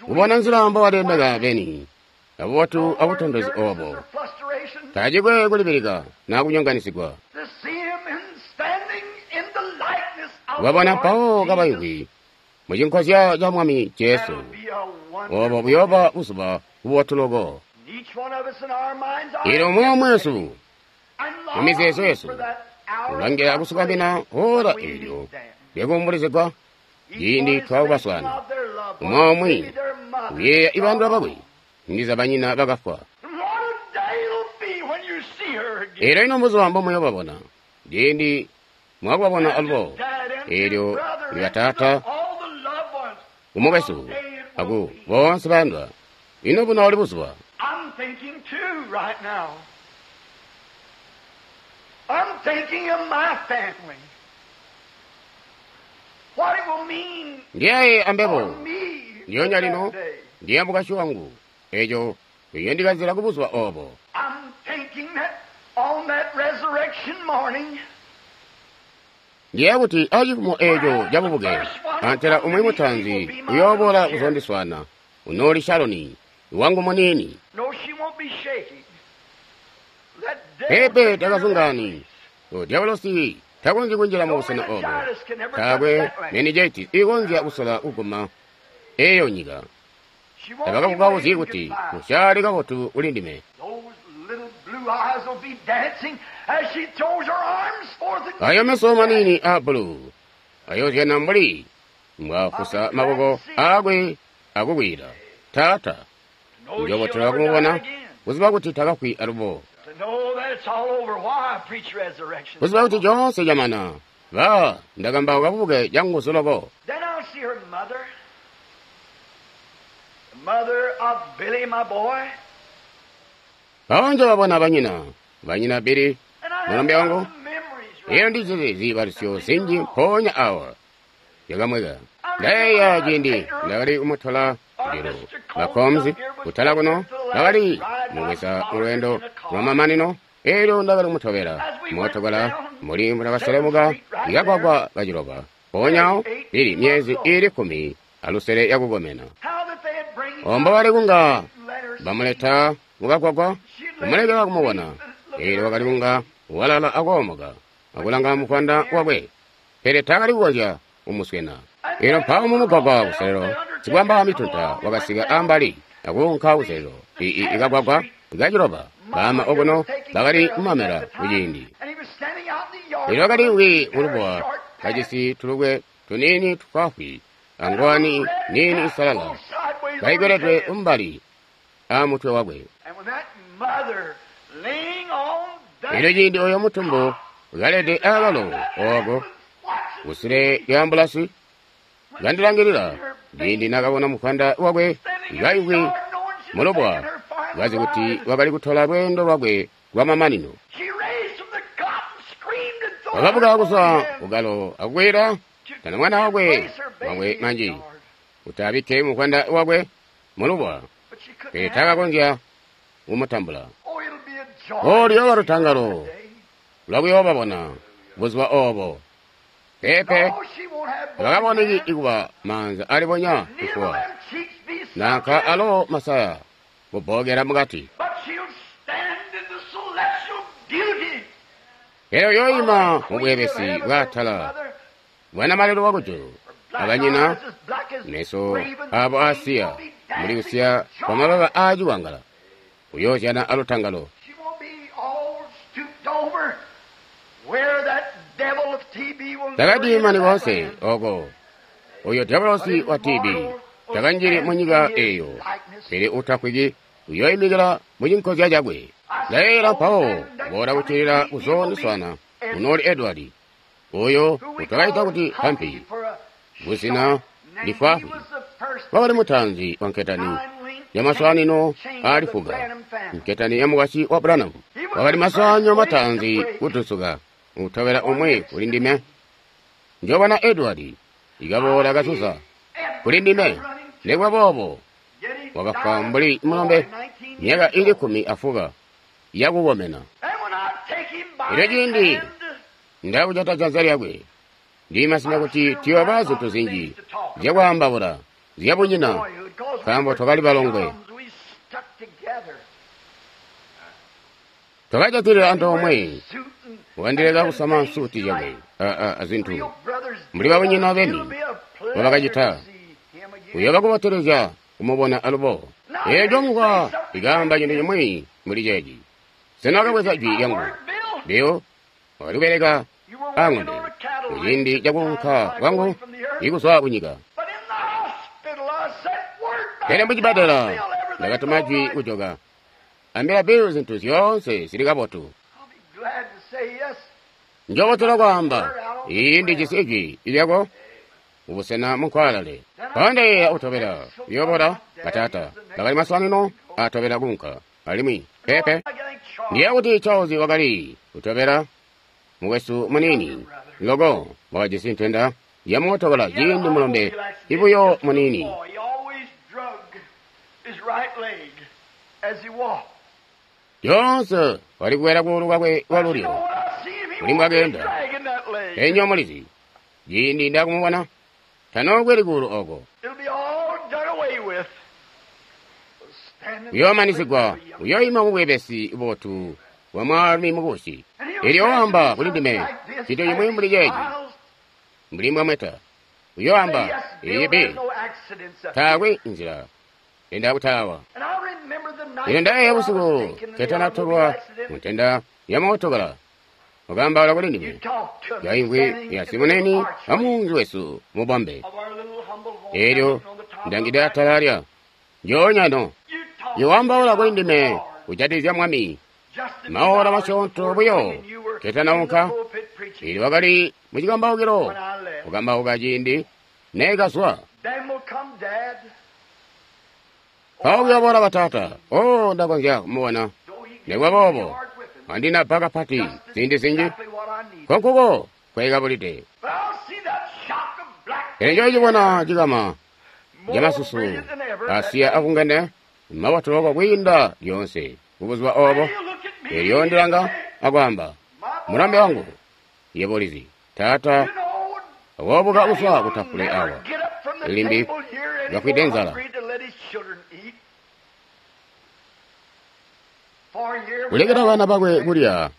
kubona nzila mbobalemeka beni abubotu abutontozi oobo, tacikwe kulibilika naa kunyonganisigwa. Kubabona mpawo kabaimvwi mucinkozya ca Mwami Jesu, oobo buyooba buzuba bubotu loko. Eelyo umwi omwe wesu mumizeezo yesu ulangila kusukamina ora eelyo lyakuumbulizigwa ciindi twakubaswaana. Umwi omwe uyeeya ibandwa bakwe ndiza banyina bakafwa. Eelyo ino mbuzuba mbomuyobabona ciindi mwakubabona alubo, eelyo libataata kumukwesu aku boonse bayandwa. Ino bunooli buzuba. I'm thinking too right now. I'm thinking of my family. What it will mean Ndiyaye ambebo for me ndiyoonya that lino day. ndiye mukashi wangu eeco iyondikanzila kubuzuba obo. I'm thinking that on that resurrection morning, Ndiye kuti acifumo eeco cabubuke antela umwi mutanzi uyooboola kuzondiswaana unooli Shaloni wangu muniini. no, she won't be shaking. That devil Pepe can takazungani diabolosi takonzyi kunjila mu busena obo, taakwe meningitis ikonzya kusola kuguma eeyo nyika. She won't be Tabakakukawuzyi waving kuti goodbye. musyali kabotu kuli ndime. Those little blue eyes will be dancing as she throws her arms forth and Ayo meso maniini a bulu ayozyana mbuli mbwafusa maboko aakwe akukwira taata. know she'll Njobotola never die kumubona again. kuziba kuti takafwi alubo, To know that it's all over. Why I preach resurrection. kuziba kuti coonse camana ba ndakambauka bubuke canguzu loko. Then I'll see her mother, the mother of Billy, my boy. Mpawo njobabona banyina banyina Bili And I have mulombe wangu. a lot of memories right Iyo ndizizi ziibalisyo zinji mpoonya awa yakamweka. Ndayeeya ciindi ndakali kumutola kujulu bakomzi kutala kuno ndakali mubweza mulweendo lwamamanino eelyo ndakali kumutobela mootokala muli mbundakaselemuka ikagwagwa kaciloba mpoonya lili myezi iili kkumi alusele yakukomena. How that they had bring Ombo bali kunga let her bamuleta mukagwagwa kumulekela kumubona eelyo wakali kunga walala akoomoka akulanga mufwanda wakwe, pele taakali kukonzya kumuswena. Eelyo mpawo mumugwagwa kuselelo sikwamba mitunta wakasika ambali akuunka kuselelo ikagwagwa ikaciloba baama okuno bakali kumamela kuciindi. And he was standing out in the yard. Eelyo wakali wi mulubuwa kajisi tulukwe tuniini tufwaafwi angowani niini isalala kaikweletwe umbali amutwe wakwe. And when that mother laying on that Eelyo ciindi oyo mutumbu kalede akalo ooko kusule lya ambulasi kandilangilila ciindi nakabona mufwanda wakwe kaimvwi mulubuwa, kazi kuti wakali kutola lweendo lwakwe lwamamanino. She raised from the cot and screamed and Wakabuka kuzwa kukalo akukwila tana mwana wakwe wakwe manji kuti abikke muvwanda wakwe mulubwa, pele takakonzya kumutambula. O luyooba lutangalo lwakuyoobabona buzuba obo. Pepe bakaboneki ikuba maanza alibonya kufuwa nanka alo masaya kubbokela mukati. Pele uyooima mubweebesi bwaatala bwanamalelo wakujulu abanyina meso abo asiya muli kusiya kwa mababa aaciwangala uyoozyana alutangalo. Takadiimani koonse oko oyo diabolosi wa T B takanjili mu nyika eyo, pele utafwiki uyooimikila mu cinkozya cakwe. Ndayeeyela mpawo kuboola kuccilila kuzoondiswana unooli Edward oyo utwakaita kuti Hampi kuzina lifwaafwi. Wakali mutaanzi wa nketani yamaswaanino aalifuka, nketani ya mukwasyi wa Branham. Wakali maswaanyo mataanzi kutusuka utobela umwi kuli ndime. Njoobona Edward ikaboola kasusa kuli ndime. Nikuba boobo wakafwa mbuli mulombe myaka ili kkumi afuka yakukomena. Elyo ciindi ndakujata janza lyakwe, ndimasimya kuti tuyooba zintu zinji zyakwaambaula zyabunyina, nkaambo twakali balongwe. Twakajatilila antoomwe, wakandileka kusama nsuti yakwe azintu mbuli babunyina beni mbobakacita. Uyooba kubotelezya kumubona alubo. Eeco mukwa ikaamba cintu cimwi mbuli ceeci. Sena wakabweza jwi lyangu? Bill wakali kubeleka aŋombe muciindi cakuunka kwangu ikuzwa kunyika. Pele mucibbadela ndakatuma jwi kujoka, ambila Bill zintu zyoonse zili kabotu. Njoobotela kwaamba, iyi ndijisi ijwi lyako mubusena munkwaalale. Mpawo ndayeeya utobela uyoobola bataata bakali maswaanino atobela kuunka alimwi pepe. Ndiyeeya kuti Charles wakali kutobela mukwesu muniini loko wakajisi ntenda yamootokala ciindi mulombe ibuyo muniini. Lyoonse wali kuwela kuulu kwakwe kwalulyo mbuli mbwakeenda. Enyo mulizi ciindi ndakumubona tanookweli kuulu oko. Uyoomanisigwa, uyooima mubweebesi bubotu bwa mwaalumi mukubusi. Elyo waamba kuli ndime cintu cimwi mbuli ceeci, mbuli mbwamweta. Uyooamba, "Iyi Bill, taakwe nzila enda kutaawa." Ino ndayeeya busiku ketanatolwa muntenda ya mootokala, wakaambaula kuli ndime yaimvwi ya simuneni amuunzi wesu mubombe. Elyo ndangide atala lya njoonya no iwaambaula kuli ndime kujatikizya Mwami maola masyoonto buyo ketanaunka. Elyo wakali mucikambaukilo kukambauka ciindi neekazwa. Mpawo kuyoobola bataata, o ndakonzya kumubona. Nikuba boobo andinabba kapati ziindi zinji, nkonkuko kwekabulide. Pele njoocibona cikama camasusu asiya akungene mabotu loko kwiinda lyoonse kubuzuba obo. Elyo ndilanga akwaamba, "Mulambe wangu, yebo ulizi, taata woobuka kuzwa kutafule awa limbi bafwide nzala." Kulekela bana bakwe kulya,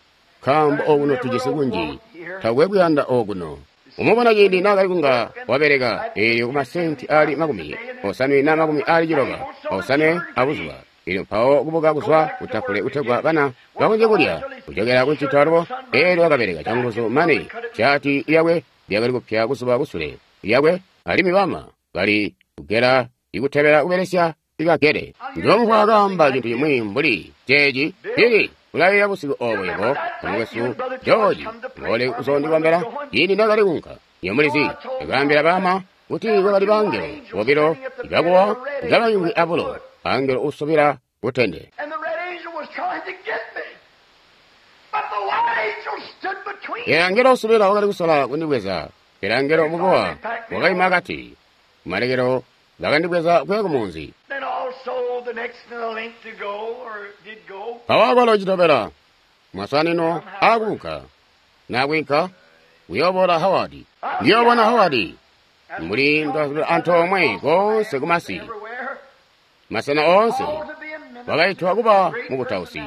nkaambo okuno tujisi kunji, takwe kuyanda okuno. Umubona ciindi naakali kunga wabeleka eelyo kumasenti aali makumi osanwe na makumi aali ciloba osanwe abuzuba. Elyo mpawo kubuka kuzwa kutafule kutegwa bana bakonzye kulya kujokela kuncito alubo. Eelyo wakabeleka canguzu mane shaati lyakwe lyakali kupya kuzuba kusule lyakwe, alimwi bama bali kugela ikutebela kubelesya ikagele. Njomvwa akaamba cintu cimwi mbuli ceeci, "Pili, ulayeeya busiku obo yebo mukwesu George ngole uzondikwambela ciindi ndakali kunka." Iyo mulizi, ndakaambila bama kuti kwakali bangelo bobilo ibakuwa ikabayungwi abulo, angelo usubila kutende. Pele angelo usubila wakali kusola kundibweza, pele angelo mukuwa wakaima akati. Kumalekelo bakandibweza kuya kumunzi. Mpawo akwalo citobela masanino aakuunka nakwinka kuyooboola Howard. Ndiyoobona Howard mbuli ndazula antoomwe koonse kumasi, masena oonse wakaitwa kuba mukutausi,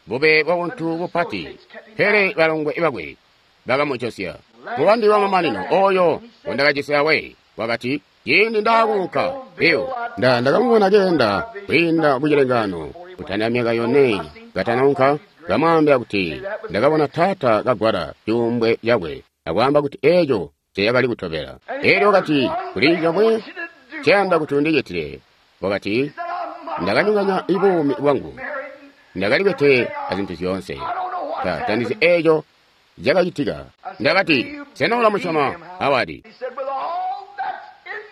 bube bwa buntu bupati, pele balongwe bakwe bakamucosya. Mubandi wa mamanino oyo ngondakajisi awe wakati, ciindi ndaakuunka Bill, nda ndakamubona keenda kwiinda mucilengano kutandila myaka yone katanaunka, kamwaambila kuti ndakabona taata kagwala cuumbwe cakwe akwaamba kuti eeco ceyakali kutobela. Eelyo wakati, kuli comwe ceyanda kuti undicitile. Wakati, ndakanyonganya buumi bwangu, ndakalikwete azintu zyoonse, ta tandizi eeco cakacitika. Ndakati, sena ulamusyoma Howard?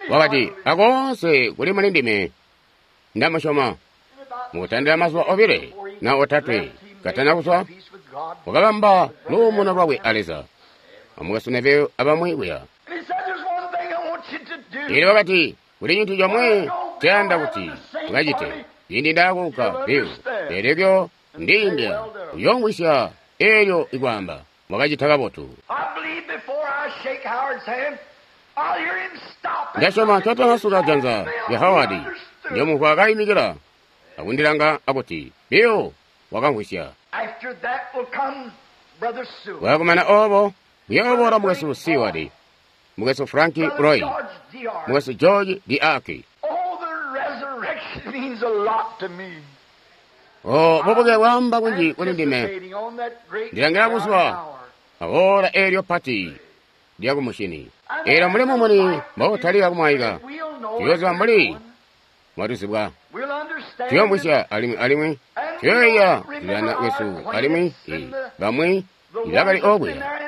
Wakati, akoonse kuli muli ndime ndamusyoma. Mukutandila mazuba obile na otatwe katana kuzwa, wakabamba luumuno lwakwe a Leza. Amukwesu Neville abamwi kuya. Eelyo wakati, kuli cintu comwe ceyanda kuti ukacite. Ciindi ndaakuunka Bill, eelyo ndiimbya uyoongwisya eelyo ikwaamba mwakacita kabotu. Ndasyoma ncatanasuka janza lya Howard, ndiyomumvwa kaimikila akundilanga akuti, Bill wakamvwisya. Wakumana obo kuyooboola mukwesu Seward, mukwesu Frank Roy, mukwesu George Diaki. Oh, bubuke bwaamba kunji kuli ndime. Ndilangila kuzwa aola eelyo pati lyakumushini. Eelyo mbuli mumuni mboutalika kumwaika, tuyooziba mbuli mwatuzibwa, tuyoomvwisya alimwi alimwi tuyoiya kulilana kwesu alimwi bamwi ibakali okuya.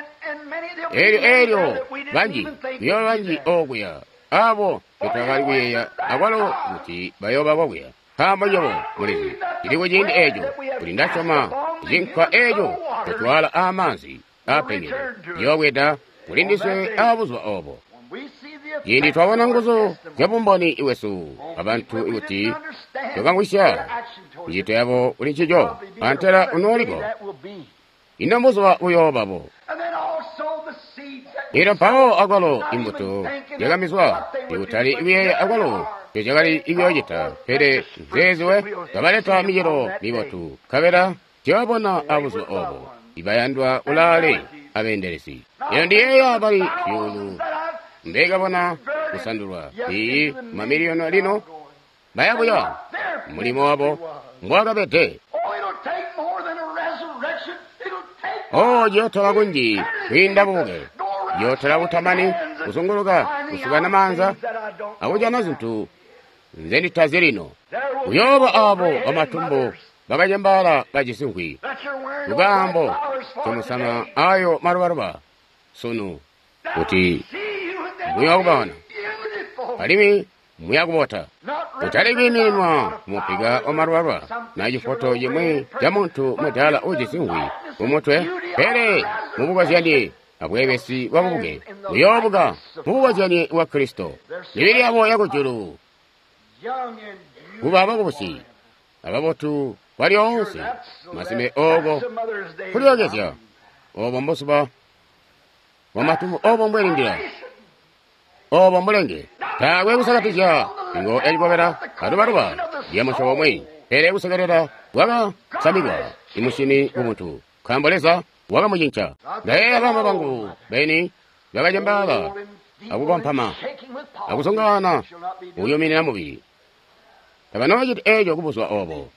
Eelyo eelyo banji kuyooba banji okuya abo tetwakali kuyeeya akwalo kuti bayooba kokuya. Nkaambo nywebo mulizi cili kuciindi eeco kuti ndasyoma cinkwa eeco cotwala aamaanzi aapengede ciyoobweda kuli ndiswe aabuzuba oobo. Ciindi twabona nguzu zyabumboni bwesu abantu kuti twakamvwisya micito yabo kuli ncico, antela unooliko. Ino mbuzuba buyoobabo. Eelyo mpawo akwalo imbuto zyakamizwa ikutali kuyeeya akwalo tezyakali kuyoocita, pele nzeeziwe kabaleta micelo mibotu, nkabela tuyabona abuzuba oobo ibayandwa kulaale abeendelezi. Eelyo ndiyeeya bali zyuulu mbekabona kusandulwa iyi mamiliyoni lino baya buya mulimo wabo mbwakabede. Oh, ciyootola kunji kwiinda bubuke, ciyootola kutamani kuzunguluka kusukana maanza akujana zintu nzenditazi lino. Kuyooba aabo bamatumbu bakacembaala bajisi nkwi lukaambo comusama ayo malubaluba sunu kuti muyakubona alimwi muyakubota. Kutali kwiimininwa kumupika wa malubaluba na cifoto cimwi ca muntu mudaala ujisi nkwi kumutwe, pele mubukozyanye abweebesi bwa bubuke buyoobuka mubukozyanye bwa Kristo. Mibili yabo yakujulu kuba bakubusi ababotu kwalyoonse masime ooko kulyookezya obo mbuzuba bwamatumbu obo mbwelindila obo mbulenge. Taakwe kusakatizya ingo yacikobela alubaluba lyamusyobo umwi, pele kusekelela kwakasamikwa imusyini kumuntu, nkaambo Leza wakamucinca. Ndayeeya bama bangu beni bakacembaala akukompama akuzungaana kuyuminina mubili. Tabanoociti eeco kubuzuba oobo,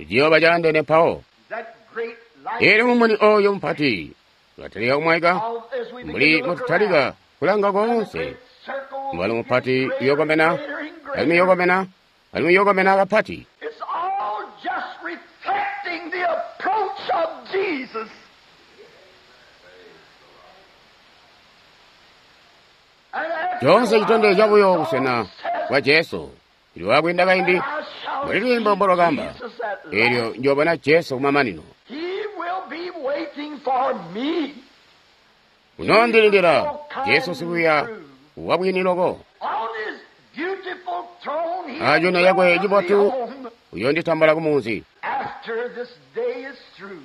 ciyooba caandene mpawo. Eelyo mumuni ooyo mupati ulatalika kumwaika mbuli mbotutalika kulanga koonse. Mubalo mupati uyookomena alimwi uyookomena alimwi uyookomena kapati. Coonse citondezya buyo busena bwa Jesu. Lwakwiinda kaindi mbuli lwiimbo mbolwakaamba, eelyo njoobona Jesu kumamanino. for me. Unoondilindila Jesu sikwiiya wabwini loko. On his beautiful throne, he Acuno yakwe will cibotu be home uyonditambula kumunzi. after this day is through.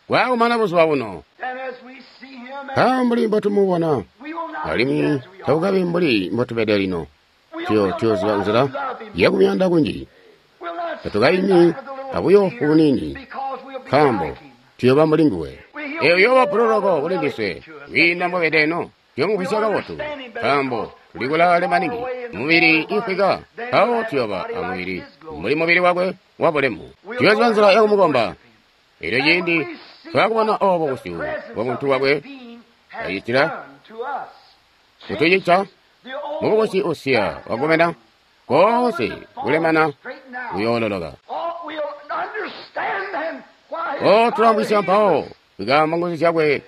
Bwakumana buzuba buno. And as we see him, Mpawo mbuli mbotumubona we will not be alimwi as we are. takukabi mbuli mbotubede lino. We'll Tuyo know tuyoziba how to nzila love him. yakumuyanda kunji. We'll not Tatukaimi stand back with a little abuyo fear bunini because we'll be nkaambo like him. tuyoba mbuli nguwe. Eyo yoba puloloko kuli ndiswe kwiinda mbobede eno tuyomuvwisya kabotu nkaambo tuli kulaale maningi mubili ifwika mpawo tuyoba amubili mbuli mubili wakwe wabulemu. Tuyoziba nzila yakumukomba. Elyo ciindi twakubona obo busyu bwa muntu wakwe acitila kutucica mubukusi usiya wakomena koonse kulemana kuyoololoka. O tulamvwisya mpawo ikaamba nguzu zyakwe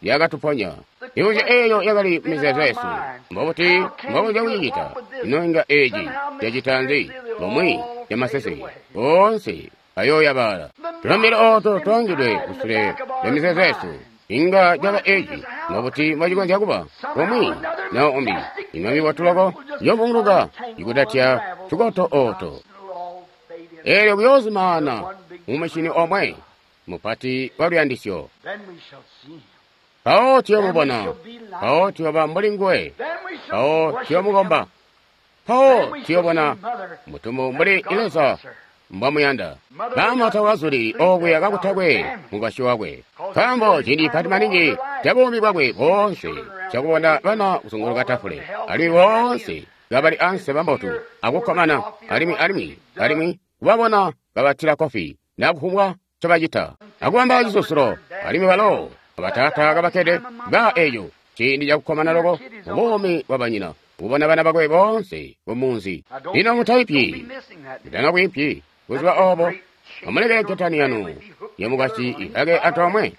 yakatuponya. Mibuzyo eeyo yakali mumizeezo yesu. Mbobuti mbokonzya kucicita? Ino inga eeci cacita nzi? Bomwe camaseseke oonse ayooyabaala. Tulambile ooto twaangidwe kusule lya mizeezo yesu. Inga caba eeci mbobuti mbocikonzya kuba? Bomwe na umbi. Ino mibotu loko yobunguluka ikutatya tukoto ooto. Eelyo kuyozimaana mumushini omwe mupati wa luyandisyo. Mpawo tuyomubona, mpawo tuyoba mbuli nguwe, mpawo tuyomukomba, mpawo tuyobona mutumbu mbuli Leza mbwamuyanda. Baama tawazuli okuya kakutakwe mukwasyi wakwe, nkaambo ciindi pati maningi ca buumi bwakwe boonse cakubona bana kuzunguluka tafule, alimwi boonse kabali ansi bambotu akukkomana, alimwi alimwi alimwi kubabona kabatila kofi nakufumbwa ncobacita akubamba cisusulo, alimwi balo abataata kabakkede ba eeco ciindi cakukkomana loko mubuumi bwa banyina kubona bana bakwe boonse mumunzi. Lino mutaipyi, mutanakwiipyi buzuba oobo amulekele nketani yanu yamukwasyi ihake antoomwe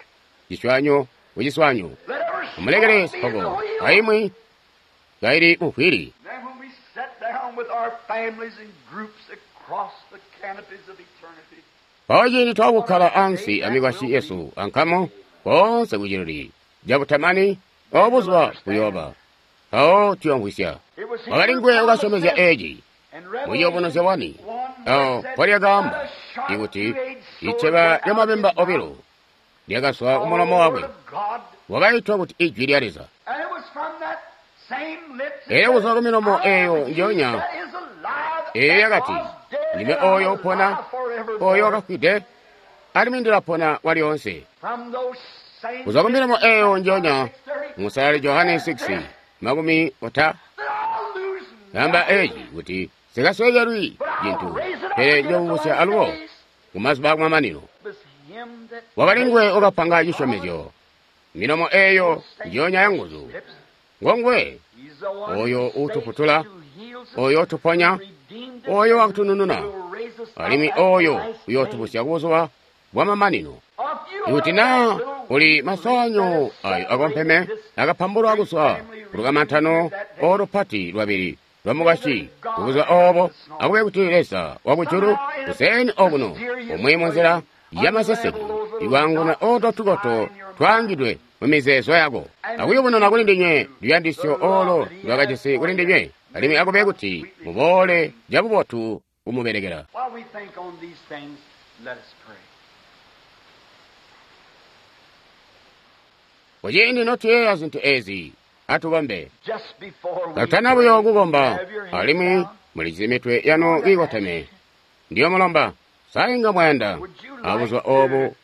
ciswanyo kuciswanyo, amulekele sipoko aimwi kaili muvwili. Then when we sat down with our families and groups across the canopies of eternity, Mpawo ciindi twakukkala ansi amikwasyi yesu ankamu koonse kuciluli cabutamani obo buzuba buyooba. Mpawo tuyomvwisya. it was Wakali nguwe wakasyomezya eeci and muciyubunuzyo wani one awo mpolyakaamba ikuti iceba lyamabemba obilo lyakazwa kumulomo wakwe God, wakaitwa kuti ijwi lya Leza. and it was from that same lips Elyo kuzwa ku milomo eeyo njoonya that is alive, eyo that yakati was dead, ndime and oyo I'm upona alive forevermore. oyo wakafwide alimwi ndilapona kwalyoonse. From those same Kuzwa ku milomo eeyo njoonya lips, musalali Johane six makumi ota that I'll lose gamba eeci kuti sikasweekelwi cintu pele njomubusya alubo kumazuba akumamanino. It was him that Wakali nguwe wakapanga cisyomezyo. Milomo eeyo njoonya ya nguzu lips. ngonguwe He's the one oyo who saves utufutula, us, who heals us, oyo utuponya, who redeemed us, oyo wakutunununa, who will raise us up alimwi at the oyo last uyootubusya kubuzuba bwamamanino. day. If you Ikuti are naa that little uli masanyo that ayo akompeme akapambulwa kuzwa kulukamantano olupati lwabili lwamukwasyi kubuzuba obo akube kuti Leza wakujulu kuseni okuno umwi munzila yamaseseke ikwaanguna oto tukoto twaangidwe mumizeezo yako akuyubununa kuli ndinywe luyandisyo olo lwakajisi kuli ndinywe alimwi akube kuti muboole cabubotu kumubelekela. While we think on these things, let us pray. Kuciindi notuyeeya zintu ezi atukombe. Just before we Katana buyo pray, kukomba have your hands alimwi down. mulizi mitwe yanu iikoteme. Ndiyo mulomba sainga mwayanda Would you like abuzuba to, obu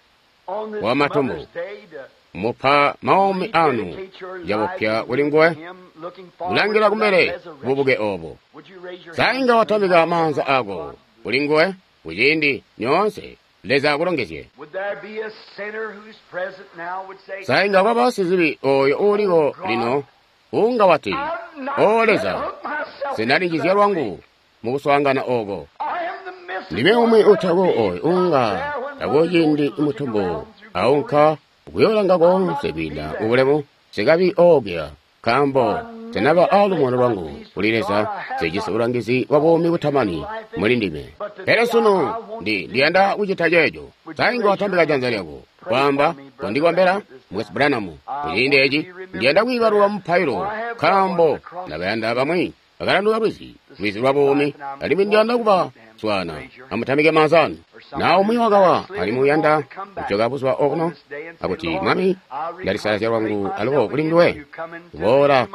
on this bwa matumbu Mother's Day, to mupa maumi anu rededicate your life cabupya to kuli nguwe Him, looking forward kulangila to that kumbele resurrection? bubuke obo. Would you raise your Sainga hands watamika and maanza ako kuli nguwe kuciindi nyoonse Leza akulongezye. Would there be a sinner who's present now would say, Sainga kwaba sizibi oyo uuliko lino unga wati I'm not O gonna Leza hook myself sinalinjizya into that lwangu mukuswaangana oko. I am the missing Ndime one umwe that'll utako be oyo out unga there when tako mother ciindi goes looking mutumbu around through aunka kuyoolanga konse kwiinda ubulemu sikabi okuya nkaambo Nsenaba a lumono lwangu kuli Leza, nsejisi bulangizi bwa buumi butamani muli ndime. Pele sunu ndi ndiyanda kucita ceeco. Sa inga watambika janza lyako, kwaamba, kondikombela, Mukwesu Branham. Kuciindi eci ndiyanda kwiibalulwa mupailo, nkaambo ndabayanda bamwi bakalanduka lwizi, lwizi lwa buumi, alimwi ndiyanda kuba swaana. Amutambike maanza anu. Na umwi wakawa alimwi uyanda kujoka buzuba obuno akuti, Mwami, ndalisalazya lwangu alubo kuli nduwe, kuboola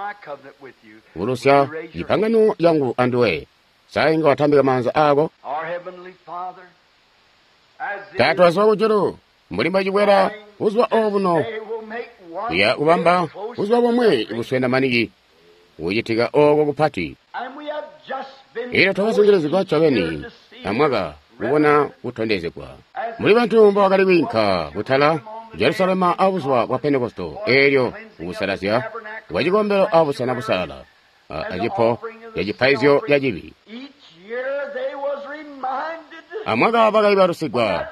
kubulusya cipangano cangu anduwe. Sa inga watambika maanza ako? Taata wazuba kujulu, mbuli mbwacibwela buzuba obuno, kuya kubamba buzuba bomwe buswena maningi kucitika oko kupati. Elyo twakazungilizigwa ncobeni amwaka kubona kutondezegwa muli bantu mbobakali kwiinka kutala Jerusalema abuzuba bwa Pentekosto, eelyo kukusalazya kwa cikombelo abusena busalala acipo ca cipaizyo ca cibi. Amwaka bakaibalusigwa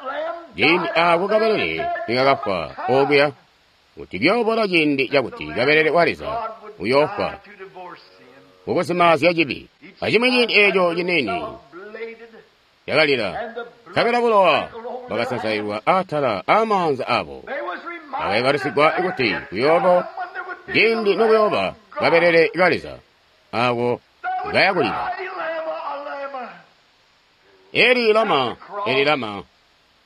ciindi aako kabelele nikakafwa okuya, kuti kuyoobola ciindi cakuti kabelele wa Leza uyoofwa kukuzimaazya cibi. Acimwi ciindi eeco ciniini cakalila, nkabela bulowa bwakasansailwa atala aamaanza abo. Bakaibalusigwa kuti kuyooba ciindi nokuyooba kabelele ka Leza aako kayakulila. Eli lama, eli lama,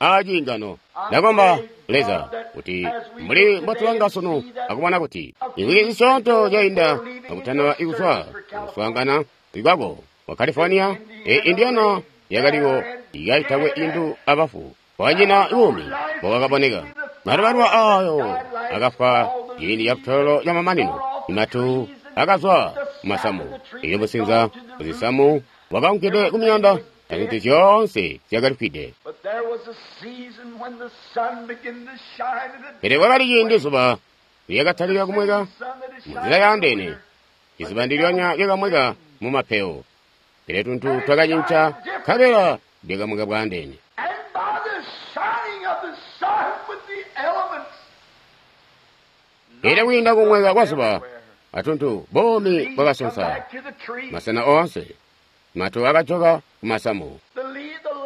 aciingano. Ndakomba Leza kuti mbuli mbotulanga sunu akubona kuti imvwiki zisyoonto zyainda akutandaba ikuzwa kuswaangana kwako wa California, e Indiana yakaliwo ikaitakwe indu abafu kwanyina buumi bwakaboneka. Malubaluba ayo akafwa ciindi ca kutololo ca mamanino, imatu akazwa kumasamu, elyo businza kuzisamu bwakaunkide kumiyanda, azintu zyoonse zyakalifwide. Pele kwakali ciindi zuba lyakatalika kumweka munzila yaandeene, izuba ndilyonya lyakamweka mumapewo, pele tuntu twakacinca nkabela lyakamweka bwaandeene. Elyo kwiinda kumweka kwa zuba atuntu, buumi bwakasonsa masena oonse, matu akajoka kumasamu.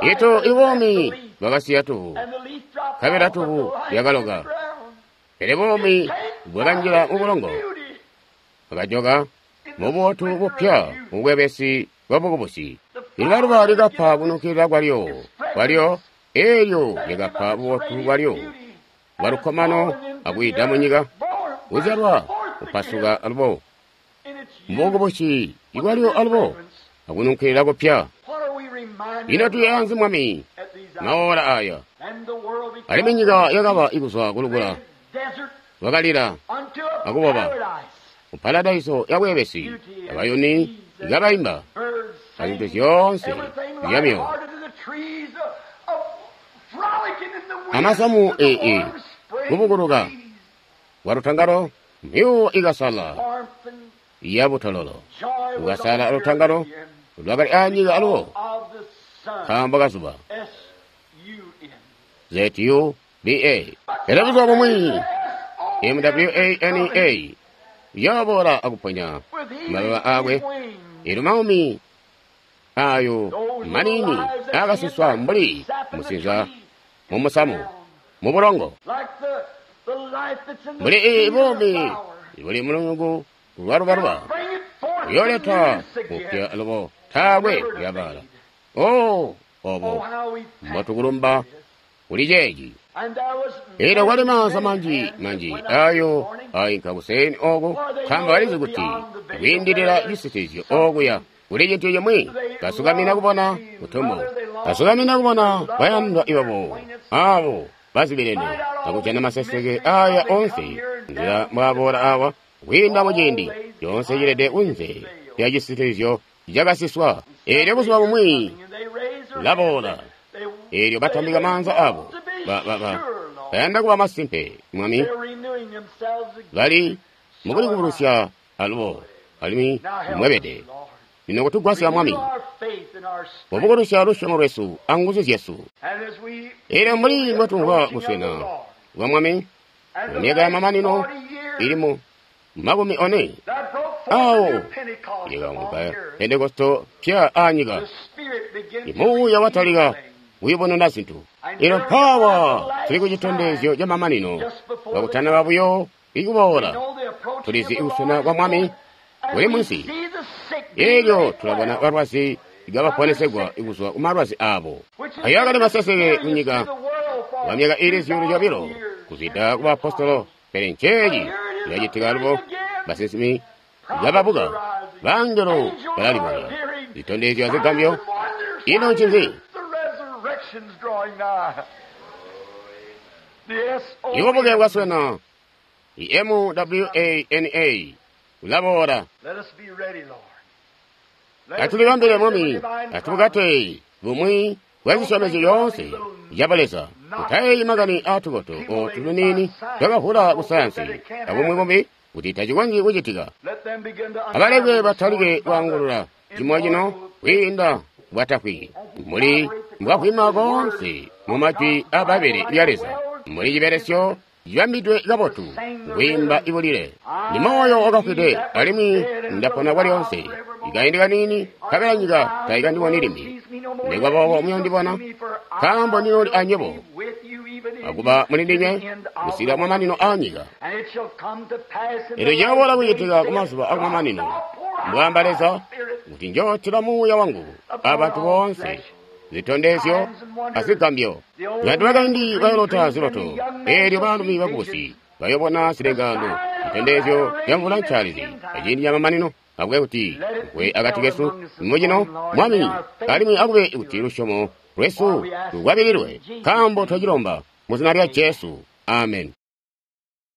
Ito ibuumi bwakasiya tuvu, nkabela tuvu lyakaloka, pele buumi bwakanjila mubulongo, bwakajoka mububotu bupya mubwebesi bwa bukubusi. Ilubaluba likapa kunukilila kwalyo kwalyo, eelyo lyakapa bubotu bwalyo bwalukkomano akwiida munyika, kuzyalwa kupasuka alubo mubukubusi ibwalyo alubo akunukilila kupya. Ino tuyaanzi Mwami maola aya? Alimwi nyika yakaba ikuzwa kulukula, lwakalila akuboba mu paradaiso ya bwebesi, abayuni ikabaimba, azintu zyoonse zyamyo amasamu ee kubukuluka kwa lutangalo, mpiwo ikasala ya butololo kukasala lutangalo lwakali anyika alubo nkaambo kazuba Z U B A. Pele buzuba bumwi M W A N A yaboola akuponya mababa akwe, elyo maumi ayo manini akasuswa mbuli musinza mumusamu mubulongo, mbuli iyi buumi buli mulungu lwalubaluba uyoleta mupya alubo taakwe kuyabala. Oh, obo mbotukulumba kuli ceeci. Elyo kwali maanza manji manji ayo ainka kuseni oku, nkaambo balizi kuti kwiindilila cisitizyo okuya kuli cintu cimwi. Kasukamina kubona mutumbu, kasukamina kubona bayandwa ibabo abo bazibilene akujana maseseke aya onse nzila mbwaboola awa kwiinda muciindi coonse cilede kunze lya cisitizyo cakasiswa. Elyo buzuba bumwi laboola, elyo batambika maanza abo, ba, ba, ba, bayanda kuba masimpe Mwami, bali mukulikubulusya alubo alimwi mwebede. Lino kutugwasya Mwami, kubukulusya lusyomo lwesu anguzu zyesu. Elyo mbuli mbwatumvwa kuswena kwa Mwami mu myaka ya mamanino ili mu makumi one, Awo yakaunga Pentekosto pya aanyika. Muuya watalika kuyubununa zintu. Ino mpaawa tuli ku citondezyo ca mamanino kakutanaba buyo ikuboola. Tulizi kuswena kwa Mwami kuli munsi. Elyo tulabona balwazi kabaponesegwa kuzwa ku malwazi abo. Ayo akali maseseke kunyika kwa myaka ili zyuulu zyobilo kuzwida ku baapostolo, pele nceeci cilacitika alubo. Basinsimi kababuka, bangelo balalibonya, zitondezyo azigambyo. Ino ncinzi? Ibubuke bwaswena. I M W A N A ulaboola. Atulibambile Mwami, atubukate bumwi bwa zisyomezyo zyoonse zya Leza. Tutayeeyi makani aatukoto ootu tuniini twakavwula ku sayansi abumwi bumbi kuti tacikonzyi kucitika. Abalekwe batalike kwaangulula cimo cino kwiinda bwatafwi mbuli mbwavwima koonse mu majwi aa Bbaibbele lya Leza, mbuli cibelesyo cibambidwe kabotu kwiimba ibulile. Ndi moyo wakafwide alimwi ndapona kwalyoonse. Ikaindi kaniini nkabela nyika taikandiboni limbi. Nikuba boobo muyondibona, nkaambo ndinooli anywebo akuba muli ndinywe kusikila kumamanino aanyika. Elyo ciyaboola kucitika kumazuba akumamanino, mbwaamba Leza, kuti njootila Muuya wangu abantu boonse, zitondezyo azigambyo. Bantu bakaindi bayolota ziloto, eelyo baalumi bakubusi bayobona zilengaano, zitondezyo zyamvula ncaalizi aciindi camamanino. Akube kuti kwe akati kesu mucino Mwami, alimwi akube kuti lusyomo lwesu lukwabililwe, nkaambo twacilomba mu zina lya Jesu. Amen.